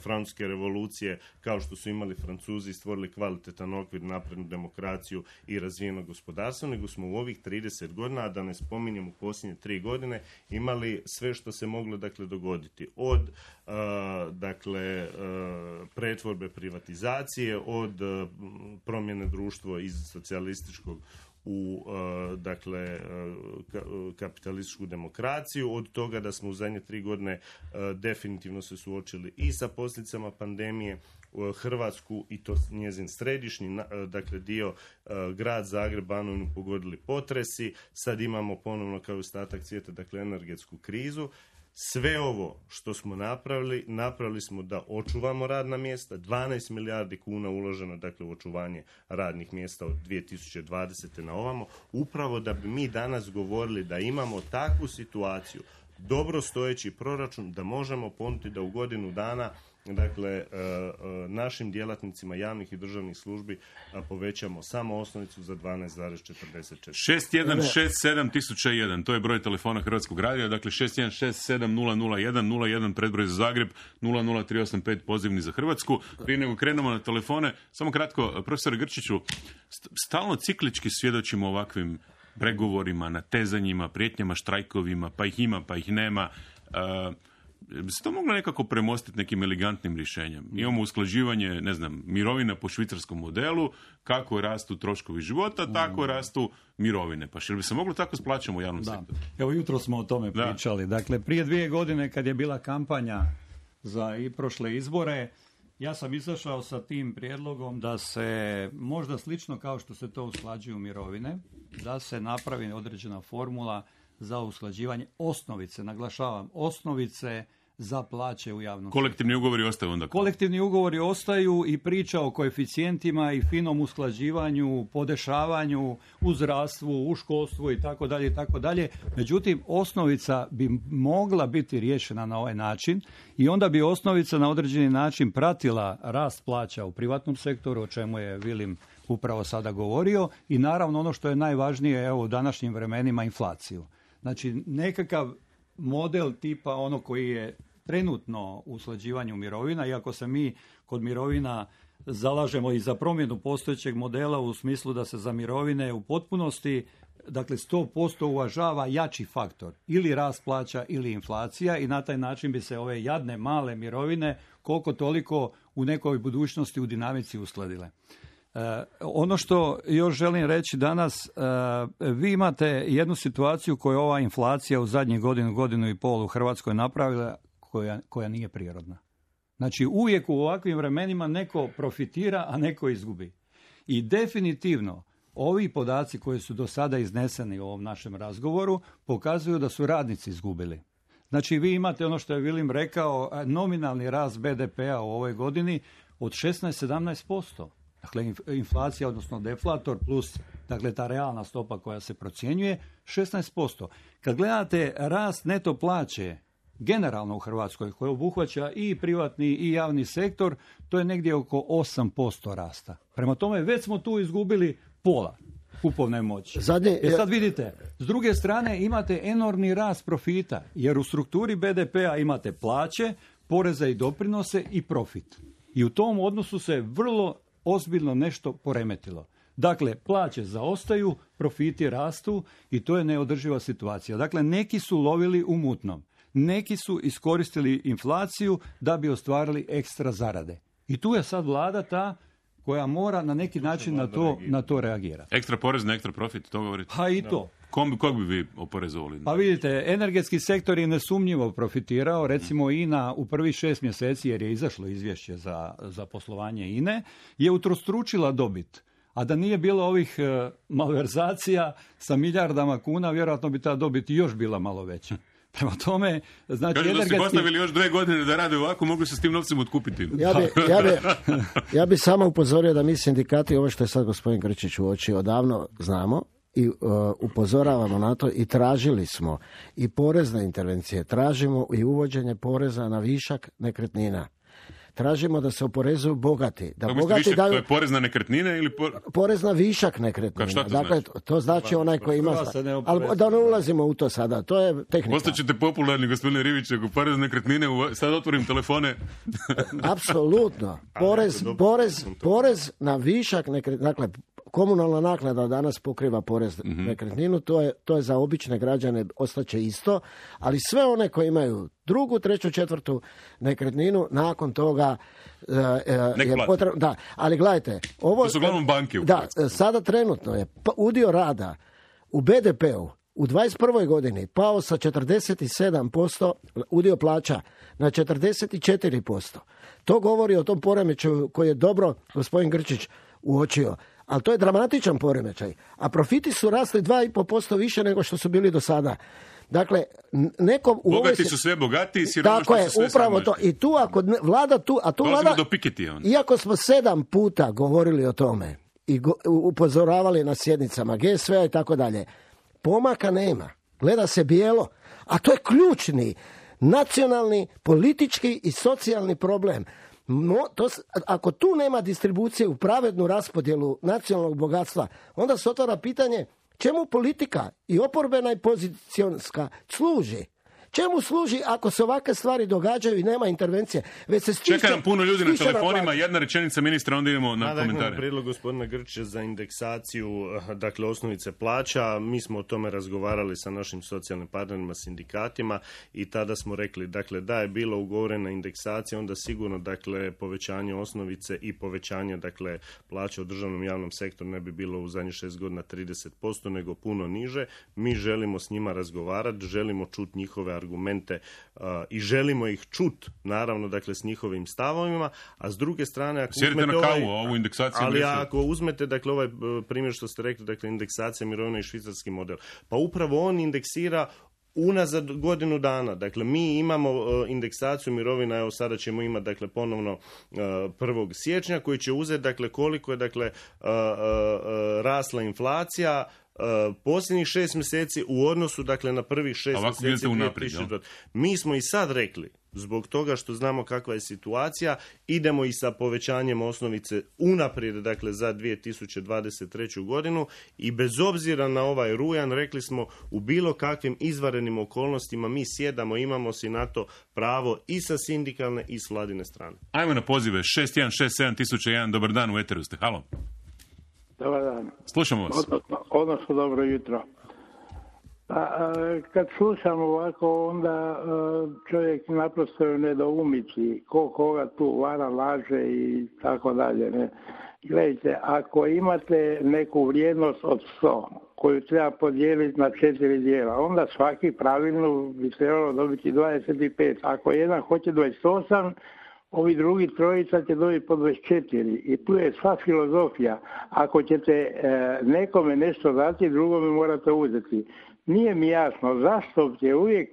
[SPEAKER 9] francuske revolucije kao što su imali Francuzi, stvorili kvalitetan okvir, naprednu demokraciju i razvijeno gospodarstvo, nego smo u ovih trideset godina, a da ne spominjem u posljednje tri godine, imali sve što se moglo, dakle, dogoditi. Od uh, dakle, uh, pretvorbe privatizacije, od uh, promjene društva iz socijalističkog u uh, dakle uh, ka, uh, kapitalističku demokraciju, od toga da smo u zadnje tri godine uh, definitivno se suočili i sa posljedicama pandemije, uh, Hrvatsku i to njezin središnji uh, dakle dio uh, grad Zagreb, Banovinu pogodili potresi, sad imamo ponovno kao ostatak svijeta, dakle, energetsku krizu. Sve ovo što smo napravili, napravili smo da očuvamo radna mjesta, dvanaest milijardi kuna uloženo, dakle, u očuvanje radnih mjesta od dvije tisuće dvadesete na ovamo, upravo da bi mi danas govorili da imamo takvu situaciju, dobro stojeći proračun, da možemo ponuditi da u godinu dana, dakle, našim djelatnicima javnih i državnih službi povećamo samo osnovicu za dvanaest zarez četrdeset četiri.
[SPEAKER 8] šest jedan šest sedam tisuća jedan, to je broj telefona Hrvatskog radija, dakle šest jedan šest sedam nula nula jedan nula jedan predbroj za Zagreb, nula nula tri osam pet pozivni za Hrvatsku. Prije nego krenemo na telefone, samo kratko, profesor Grčiću, stalno ciklički svjedočimo ovakvim pregovorima, natezanjima, prijetnjama, štrajkovima, pa ih ima, pa ih nema. Uh, bi se to moglo nekako premostiti nekim elegantnim rješenjem? Imamo usklađivanje, ne znam, mirovina po švicarskom modelu, kako rastu troškovi života, tako rastu mirovine. Pa što bi se moglo tako s plaćama u javnom
[SPEAKER 10] da.
[SPEAKER 8] sektoru?
[SPEAKER 10] Evo, jutro smo o tome da. pričali. Dakle, prije dvije godine kad je bila kampanja za i prošle izbore, ja sam izašao sa tim prijedlogom da se, možda slično kao što se to usklađuju mirovine, da se napravi određena formula za usklađivanje osnovice, naglašavam, osnovice za plaće u javnom sektoru.
[SPEAKER 8] Kolektivni ugovori ostaju onda?
[SPEAKER 10] Kolektivni ugovori ostaju i priča o koeficijentima i finom usklađivanju, podešavanju u zdravstvu, u školstvu i tako dalje i tako dalje. Međutim, osnovica bi mogla biti riješena na ovaj način i onda bi osnovica na određeni način pratila rast plaća u privatnom sektoru, o čemu je Vilim upravo sada govorio, i naravno ono što je najvažnije, evo, u današnjim vremenima, inflaciju. Znači, nekakav model tipa ono koji je trenutno u usklađivanju mirovina, iako se mi kod mirovina zalažemo i za promjenu postojećeg modela u smislu da se za mirovine u potpunosti, dakle sto posto uvažava jači faktor, ili rast plaća ili inflacija, i na taj način bi se ove jadne male mirovine koliko toliko u nekoj budućnosti u dinamici uskladile. E, ono što još želim reći danas, e, vi imate jednu situaciju koju ova inflacija u zadnjih godinu, godinu i pol u Hrvatskoj napravila koja, koja nije prirodna. Znači uvijek u ovakvim vremenima neko profitira, a neko izgubi. I definitivno ovi podaci koji su do sada izneseni u ovom našem razgovoru pokazuju da su radnici izgubili. Znači vi imate ono što je Vilim rekao, nominalni rast be de pea u ovoj godini od šesnaest do sedamnaest posto. Dakle, inflacija, odnosno deflator plus, dakle, ta realna stopa koja se procjenjuje, šesnaest posto. Kad gledate rast neto plaće, generalno u Hrvatskoj, koji obuhvaća i privatni i javni sektor, to je negdje oko osam posto rasta. Prema tome, već smo tu izgubili pola kupovne moći.
[SPEAKER 11] Zadnje,
[SPEAKER 10] e sad vidite, s druge strane imate enormni rast profita, jer u strukturi be de pea imate plaće, poreze i doprinose i profit. I u tom odnosu se vrlo ozbiljno nešto poremetilo. Dakle, plaće zaostaju, profiti rastu i to je neodrživa situacija. Dakle, neki su lovili u mutnom. Neki su iskoristili inflaciju da bi ostvarili ekstra zarade. I tu je sad vlada ta koja mora na neki način na to, na to reagirati.
[SPEAKER 8] Ekstra porez na ekstra profit, to govorite?
[SPEAKER 10] Pa i to.
[SPEAKER 8] Kom, kog bi vi oporezovali?
[SPEAKER 10] Pa vidite, energetski sektor je nesumnjivo profitirao, recimo I N A u prvih šest mjeseci, jer je izašlo izvješće za, za poslovanje I N E, je utrostručila dobit. A da nije bilo ovih e, malverzacija sa milijardama kuna, vjerojatno bi ta dobit još bila malo veća. Prema tome, znači
[SPEAKER 8] Kažu
[SPEAKER 10] energetski...
[SPEAKER 8] da ste postavili još dve godine da rade ovako, mogli se s tim novcem otkupiti.
[SPEAKER 11] Ja bi, ja bi, ja bi samo upozorio da mi sindikati, ovo što je sad gospodin Grčić uočio, odavno znamo i uh, upozoravamo na to i tražili smo i porezne intervencije, tražimo i uvođenje poreza na višak nekretnina. Tražimo da se oporezuju bogati. Da
[SPEAKER 8] Kako
[SPEAKER 11] bogati
[SPEAKER 8] višak,
[SPEAKER 11] daju...
[SPEAKER 8] to je porez na nekretnine ili por...
[SPEAKER 11] porez na višak nekretnina.
[SPEAKER 8] Šta to
[SPEAKER 11] dakle,
[SPEAKER 8] znači?
[SPEAKER 11] to znači onaj koji ima... Ali da ne ulazimo u to sada, to je tehnika.
[SPEAKER 8] Postaćete popularni, gospodine Rivić, ako porez na nekretnine, u... sad otvorim telefone.
[SPEAKER 11] Apsolutno. Porez, porez, porez na višak nekretnina, dakle, komunalna naknada danas pokriva porez na mm-hmm. nekretninu, to je, to je za obične građane ostaće isto, ali sve one koji imaju drugu, treću, četvrtu nekretninu, nakon toga uh, uh, je potrebno... Da, ali gledajte... Ovo,
[SPEAKER 8] to su uglavnom banke u
[SPEAKER 11] Da,
[SPEAKER 8] Hrvatskoj.
[SPEAKER 11] sada trenutno je udio rada u be de peu u dvadeset prvoj godini pao sa četrdeset sedam posto udio plaća na četrdeset četiri posto. To govori o tom poremećaju koji je dobro gospodin Grčić uočio. Ali to je dramatičan poremećaj. A profiti su rasli dva i pol posto više nego što su bili do sada. Dakle, nekom... U
[SPEAKER 8] Bogati
[SPEAKER 11] ovoj...
[SPEAKER 8] su sve bogatiji, siromašni
[SPEAKER 11] Tako je,
[SPEAKER 8] su sve
[SPEAKER 11] upravo to. I tu ako vlada tu... A tu vlada,
[SPEAKER 8] do Piketija.
[SPEAKER 11] iako smo sedam puta govorili o tome i go, upozoravali na sjednicama ge es ve a i tako dalje, pomaka nema. Gleda se bijelo. A to je ključni nacionalni, politički i socijalni problem. No, to, ako tu nema distribucije u pravednu raspodjelu nacionalnog bogatstva, onda se otvara pitanje čemu politika i oporbena i pozicionska služi. Čemu služi ako se ovakve stvari događaju i nema intervencije? Već se stiče,
[SPEAKER 8] Čeka nam puno ljudi na telefonima, jedna rečenica ministra, onda idemo na komentare.
[SPEAKER 9] Dakle, prijedlog gospodina Grčića za indeksaciju, dakle, osnovice plaća, mi smo o tome razgovarali sa našim socijalnim partnerima, sindikatima i tada smo rekli, dakle, da je bilo ugovorena indeksacija, onda sigurno, dakle, povećanje osnovice i povećanje, dakle, plaća u državnom javnom sektoru ne bi bilo u zadnjih šest godina trideset posto, nego puno niže. Mi želimo s njima razgovarati, želimo čuti njihove argumente uh, i želimo ih čut, naravno, dakle, s njihovim stavovima, a s druge strane, ako
[SPEAKER 8] Sjedite
[SPEAKER 9] uzmete
[SPEAKER 8] na kavu,
[SPEAKER 9] ovaj,
[SPEAKER 8] ovu indeksaciju.
[SPEAKER 9] ali
[SPEAKER 8] nesu.
[SPEAKER 9] ako uzmete, dakle, ovaj primjer što ste rekli, dakle, indeksacija mirovina i švicarski model, pa upravo on indeksira unazad godinu dana. Dakle, mi imamo uh, indeksaciju mirovina, evo sada ćemo imati, dakle, ponovno uh, prvog siječnja, koji će uzeti, dakle, koliko je, dakle, uh, uh, uh, rasla inflacija Uh, posljednjih šest mjeseci u odnosu, dakle, na prvih šest mjeseci
[SPEAKER 8] unaprijed,
[SPEAKER 9] dvije tisuće. Mi smo i sad rekli, zbog toga što znamo kakva je situacija, idemo i sa povećanjem osnovice unaprijed, dakle, za dvije tisuće dvadeset treću godinu i bez obzira na ovaj rujan, rekli smo, u bilo kakvim izvanrednim okolnostima mi sjedamo, imamo si na to pravo i sa sindikalne i s vladine strane.
[SPEAKER 8] Ajmo na pozive šest jedan šest sedam tisuća jedan, dobar dan, u eteru ste, halo.
[SPEAKER 12] Dobar dan.
[SPEAKER 8] Slušamo vas.
[SPEAKER 12] Odnosno, odnosno dobro jutro. A, kad slušam ovako, onda čovjek naprosto je u nedoumici, ko koga tu vara, laže i tako dalje. Ne? Gledajte, ako imate neku vrijednost od sto koju treba podijeliti na četiri dijela, onda svaki pravilno bi trebalo dobiti dvadeset pet. Ako jedan hoće dvadeset osam, ovi drugi trojica će dobiti po dvadeset četiri. I tu je sva filozofija. Ako ćete e, nekome nešto dati, drugome morate uzeti. Nije mi jasno zašto će uvijek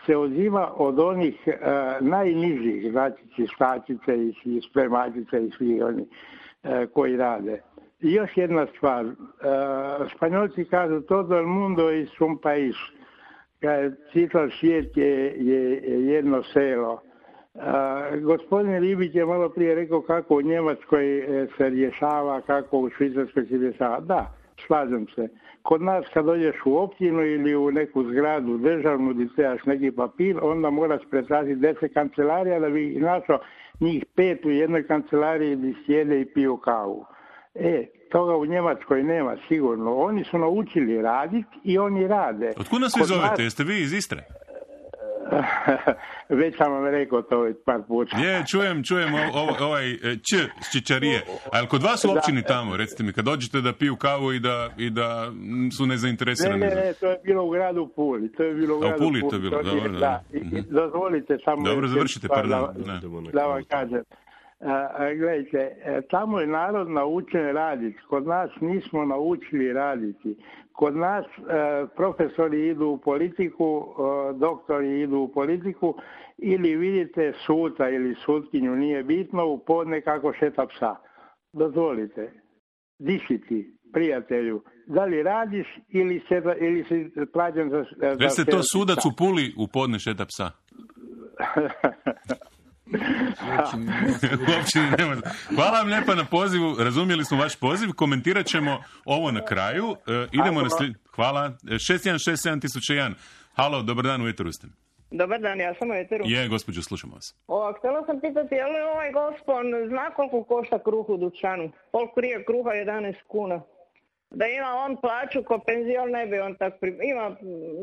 [SPEAKER 12] se uzima od onih e, najnižih, znači čistačice i spremačice i svi oni e, koji rade. I još jedna stvar. E, Španjolci kažu todo el mundo es un país. Čitav svijet je, je, je jedno selo. Uh, gospodin Ribić je malo prije rekao kako u Njemačkoj se rješava, kako u Švicarskoj se rješava. Da, slažem se. Kod nas kad dođeš u općinu ili u neku zgradu državnu gdje trebaš neki papir, onda moraš pretražiti deset kancelarija da bi našao njih pet u jednoj kancelariji gdje sjede i piju kavu. E, toga u Njemačkoj nema sigurno. Oni su naučili raditi i oni rade.
[SPEAKER 8] Otkud nas vi zovete? Nas... Jeste vi iz Istre?
[SPEAKER 12] Već sam vam rekao to već par puta.
[SPEAKER 8] Je, čujem, čujem ovaj, ovaj č s Čičarije. Ali kod vas u općini tamo, recite mi, kad dođete da piju kavu i da, i da su nezainteresirani.
[SPEAKER 12] Ne, ne, ne, to je bilo u gradu Puli. To je bilo u gradu
[SPEAKER 8] Puli.
[SPEAKER 12] Puli.
[SPEAKER 8] To je bilo, dobro, dobro.
[SPEAKER 12] Da, i, dozvolite samo...
[SPEAKER 8] Dobro, završite, pardon.
[SPEAKER 12] Da, da vam kažem. Uh, gledajte, tamo je narod naučen raditi. Kod nas nismo naučili raditi. Kod nas uh, profesori idu u politiku, uh, doktori idu u politiku ili vidite suca ili sutkinju, nije bitno, u podne kako šeta psa. Dozvolite, diši ti, prijatelju, da li radiš ili, se, ili si plaćen za...
[SPEAKER 8] Recite to sudac u Puli u podne šeta psa. Uopćini nema. Hvala vam lijepa na pozivu, razumjeli smo vaš poziv, komentirat ćemo ovo na kraju. E, idemo na slijed... Hvala. šest jedan šest sedam tisuća jedan. Halo, dobar dan, u eteru ste.
[SPEAKER 13] Dobar dan, ja sam u eteru.
[SPEAKER 8] Je, gospođo, slušamo vas.
[SPEAKER 13] O, htjela sam pitati, je li ovaj gospon zna koliko košta kruh u dućanu? Koliko krije kruha? jedanaest kuna. Da ima on plaću ko penzion, ne bi on tak pri... ima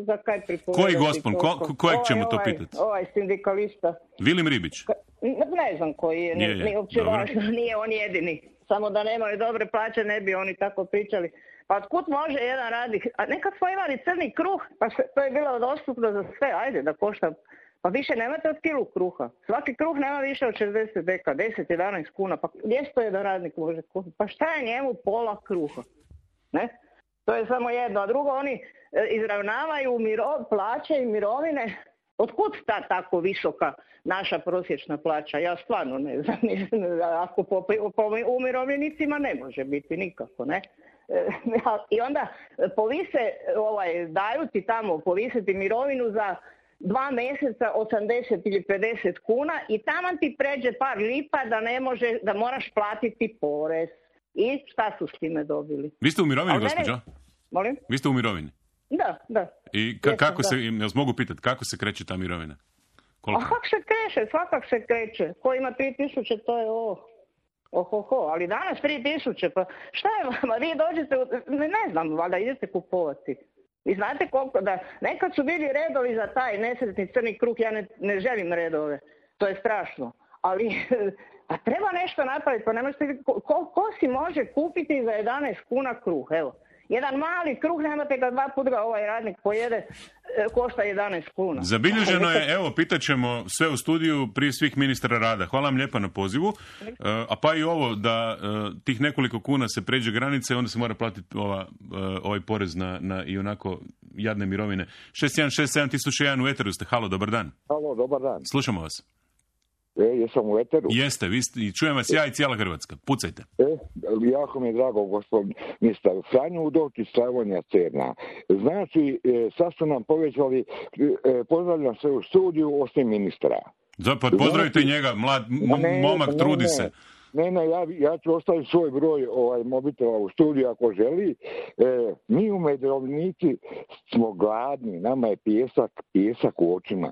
[SPEAKER 13] za kaj pripovedati.
[SPEAKER 8] Koji gospon? Ko, ko, kojeg ovaj, ćemo to
[SPEAKER 13] ovaj,
[SPEAKER 8] pitati?
[SPEAKER 13] Ovaj sindikalista.
[SPEAKER 8] Vilim Ribić?
[SPEAKER 13] Ne, ne znam koji je,
[SPEAKER 8] nije,
[SPEAKER 13] nije, uopće važno, nije on jedini. Samo da nemaju dobre plaće, ne bi oni tako pričali. Pa otkud može jedan radnik, a nekad smo imali crni kruh, pa se, to je bilo dostupno za sve, ajde da košta. Pa više nemate od kilu kruha. Svaki kruh nema više od šezdeset deka, deset jedanaest kuna. Pa gdje to jedan radnik može kupiti? Pa šta je njemu pola kruha? Ne? To je samo jedno. A drugo, oni e, izravnavaju miro, plaće i mirovine. Otkud ta tako visoka naša prosječna plaća? Ja stvarno ne znam. Ako po, po umirovljenicima ne može biti nikako, ne? E, I onda povise, ovaj, daju ti tamo povisiti mirovinu za dva mjeseca osamdeset ili pedeset kuna i tamo ti pređe par lipa da ne može, da moraš platiti porez. I šta su s time dobili?
[SPEAKER 8] Vi ste u mirovini, gospođo?
[SPEAKER 13] Ne... Molim?
[SPEAKER 8] Vi ste u mirovini?
[SPEAKER 13] Da, da.
[SPEAKER 8] I ka- kako se, jel mogu pitati, kako se kreće ta mirovina? Koliko?
[SPEAKER 13] A kako se kreće? Svakak se kreće. Ko ima tri tisuće, to je ovo. Ohoho, ali danas tri tisuće, pa šta je vama? Vi dođete, u... ne, ne znam, valjda idete kupovati. I znate koliko, da nekad su bili redovi za taj nesretni crni kruh, ja ne, ne želim redove. To je strašno. Ali... A treba nešto napraviti, pa ne možete, ko, ko si može kupiti za jedanaest kuna kruh, evo. Jedan mali kruh, nemate ga dva puta ga ovaj radnik pojede, e, košta jedanaest kuna.
[SPEAKER 8] Zabilježeno je, evo, pitat ćemo sve u studiju prije svih ministra rada. Hvala vam lijepa na pozivu. E, a pa i ovo, da e, tih nekoliko kuna se pređe granice, onda se mora platiti ova, e, ovaj porez na, na i onako jadne mirovine. šest jedan šest sedam tisuća jedan u eteru ste. Halo, dobar dan.
[SPEAKER 14] Halo, dobar dan.
[SPEAKER 8] Slušamo vas.
[SPEAKER 14] E, jesam u eteru?
[SPEAKER 8] Jeste, vi ste, i čujem vas ja i cijela Hrvatska. Pucajte.
[SPEAKER 14] E, jako mi je drago, gospodin ministar. Franjo Udovčić, Slavonija, Cerna. Znači, e, sad su nam povećali, e, pozdravljam se u studiju, osim ministra.
[SPEAKER 8] Da, pa pozdravite znači, njega, mlad, m- ne, momak, ne, trudi ne. se.
[SPEAKER 14] Ne, ne, ja, ja ću ostaviti svoj broj ovaj, mobitela u studiju ako želi. E, mi umirovljenici smo gladni, nama je pjesak, pjesak u očima.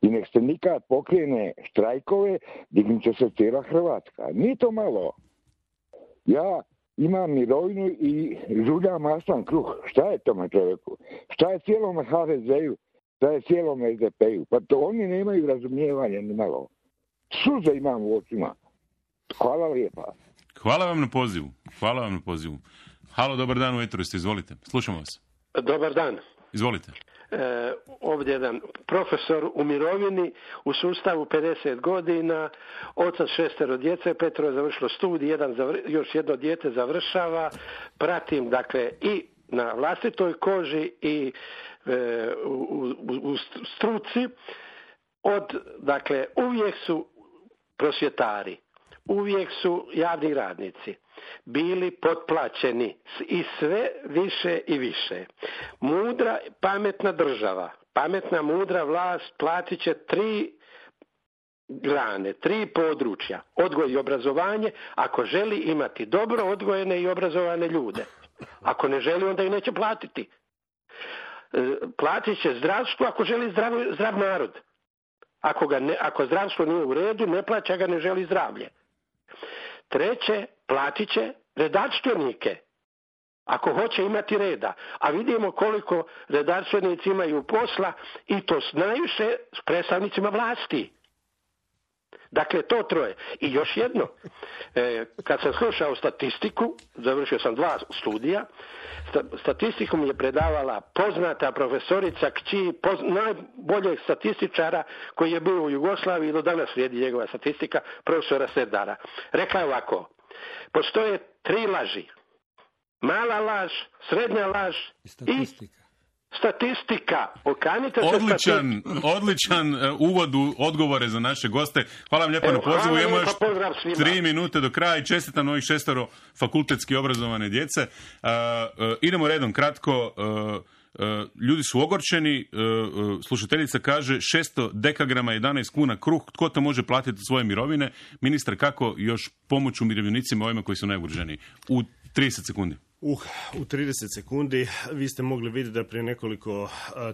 [SPEAKER 14] I nek se nikad pokrene štrajkove, dignut će se cijela Hrvatska. Nije to malo. Ja imam mirovinu i žuljam maslan kruh. Šta je tome čovjeku? Šta je cijelom ha de ze-u? Šta je cijelom es de pe-u? Pa to oni nemaju razumijevanja ni malo. Suze imam u očima. Hvala lijepa.
[SPEAKER 8] Hvala vam na pozivu. Hvala vam na pozivu. Halo, dobar dan, u etru ste, izvolite. Slušamo vas.
[SPEAKER 15] Dobar dan.
[SPEAKER 8] Izvolite.
[SPEAKER 15] E, ovdje jedan profesor u mirovini u sustavu pedeset godina, otac šestero djece, petero je završilo studij, jedan zavr, još jedno dijete završava, pratim dakle i na vlastitoj koži i e, u, u, u struci, od, dakle, uvijek su prosvjetari, uvijek su javni radnici bili potplaćeni i sve više i više. Mudra, pametna država, pametna, mudra vlast platit će tri grane, tri područja, odgoj i obrazovanje, ako želi imati dobro odgojene i obrazovane ljude. Ako ne želi, onda ih neće platiti. Platit će zdravstvo ako želi zdrav, zdrav narod. Ako, ga ne, ako zdravstvo nije u redu, ne plaća ga, ne želi zdravlje. Treće, platit će redarstvenike, ako hoće imati reda. A vidimo koliko redarstvenici imaju posla i to najviše s predstavnicima vlasti. Dakle, to troje. I još jedno, e, kad sam slušao statistiku, završio sam dva studija, statistiku mi je predavala poznata profesorica kći poz, najboljeg statističara koji je bio u Jugoslaviji i do danas vrijedi njegova statistika, profesora Serdara. Rekla je ovako, postoje tri laži. Mala laž, srednja laž i statistika. Statistika. Okanite se
[SPEAKER 8] odličan,
[SPEAKER 15] statistiku.
[SPEAKER 8] odličan uh, uvod u odgovore za naše goste. Hvala vam lijepo Evo, na pozivu. Imamo još tri minute do kraja i čestitam ovih šestero fakultetski obrazovane djece. Uh, uh, idemo redom kratko. Uh, Uh, ljudi su ogorčeni, uh, uh, slušateljica kaže šesto dekagrama, jedanaest kuna kruh, tko to može platiti svoje mirovine? Ministar, kako još pomoć umirovljenicima, ovima koji su najugroženiji? U trideset sekundi.
[SPEAKER 9] Uh, u trideset sekundi vi ste mogli vidjeti da prije nekoliko uh,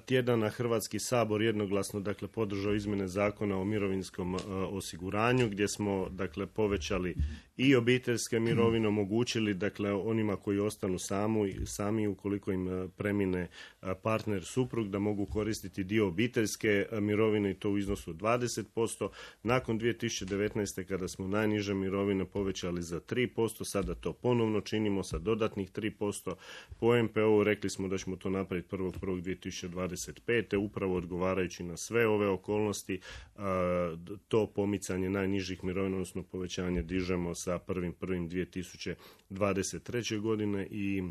[SPEAKER 9] tjedana Hrvatski sabor jednoglasno dakle podržao izmjene zakona o mirovinskom uh, osiguranju gdje smo dakle povećali i obiteljske mirovine, omogućili dakle onima koji ostanu samu, sami ukoliko im uh, premine uh, partner suprug da mogu koristiti dio obiteljske uh, mirovine i to u iznosu dvadeset posto. Nakon dvije tisuće devetnaeste kada smo najniže mirovine povećali za tri posto, sada to ponovno činimo sa dodatnih tri posto. Po em pe o-u rekli smo da ćemo to napraviti prvog prvog dvije tisuće dvadeset pete. Upravo odgovarajući na sve ove okolnosti, to pomicanje najnižih mirovina, odnosno povećanje dižemo sa prvog prvog dvije tisuće dvadeset treće godine i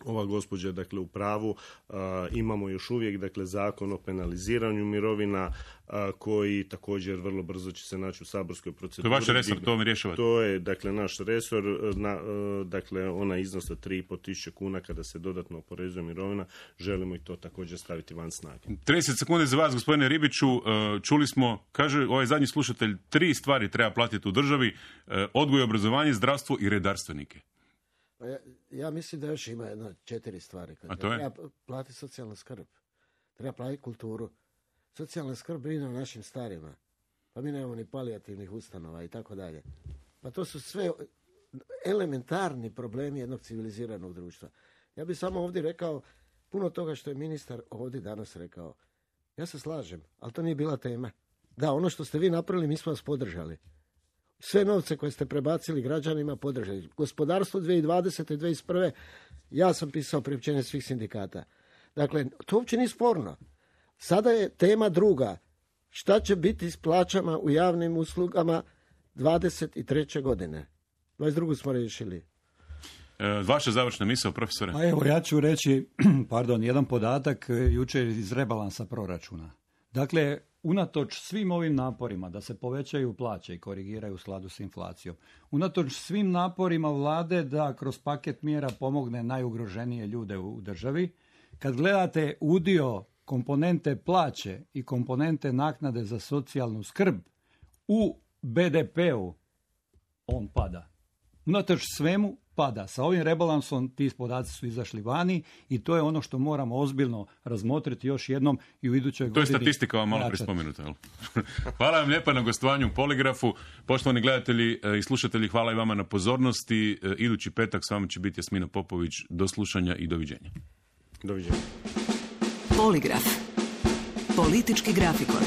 [SPEAKER 9] ova gospođa dakle u pravu, a, imamo još uvijek dakle zakon o penaliziranju mirovina a, koji također vrlo brzo će se naći u saborskoj proceduri.
[SPEAKER 8] To je vaš resor, to mi rješavate.
[SPEAKER 9] To je dakle naš resor, na, a, dakle ona iznosa tri i pol tisuće kuna kada se dodatno oporezuje mirovina, želimo i to također staviti van snage.
[SPEAKER 8] trideset sekundi za vas, gospodine Ribiću. Čuli smo, kaže ovaj zadnji slušatelj, tri stvari treba platiti u državi: odgoj, obrazovanje, zdravstvo i redarstvenike.
[SPEAKER 11] Ja, ja mislim da još ima jedno četiri stvari.
[SPEAKER 8] A to je?
[SPEAKER 11] Treba platiti socijalnu skrb. Treba platiti kulturu. Socijalna skrb brine o našim starima. Pa mi nemamo ni palijativnih ustanova i tako dalje. Pa to su sve elementarni problemi jednog civiliziranog društva. Ja bih samo ovdje rekao puno toga što je ministar ovdje danas rekao. Ja se slažem, ali to nije bila tema. Da, ono što ste vi napravili, mi smo vas podržali. Sve novce koje ste prebacili građanima podržali. Gospodarstvo dvije tisuće dvadesete. dvije tisuće dvadeset prve. Ja sam pisao priopćenje svih sindikata. Dakle, to uopće nije sporno. Sada je tema druga. Šta će biti s plaćama u javnim uslugama dvadeset treće godine? dvadeset drugu smo riješili.
[SPEAKER 8] E, vaša završna misao, profesore?
[SPEAKER 10] A evo, ja ću reći, pardon, jedan podatak jučer iz rebalansa proračuna. Dakle, unatoč svim ovim naporima da se povećaju plaće i korigiraju u skladu s inflacijom, unatoč svim naporima vlade da kroz paket mjera pomogne najugroženije ljude u državi, kad gledate udio komponente plaće i komponente naknade za socijalnu skrb u be de pe-u, on pada. Unatoč svemu pada. Sa ovim rebalansom ti podaci su izašli vani i to je ono što moramo ozbiljno razmotriti još jednom i u idućoj godini.
[SPEAKER 8] To je statistika vam malo prispomenuta. Hvala vam lijepa na gostovanju u Poligrafu. Poštovani gledatelji i slušatelji, hvala i vama na pozornosti. Idući petak s vama će biti Jasmina Popović. Do slušanja i doviđenja.
[SPEAKER 9] Doviđenja.
[SPEAKER 7] Poligraf. Politički grafikon.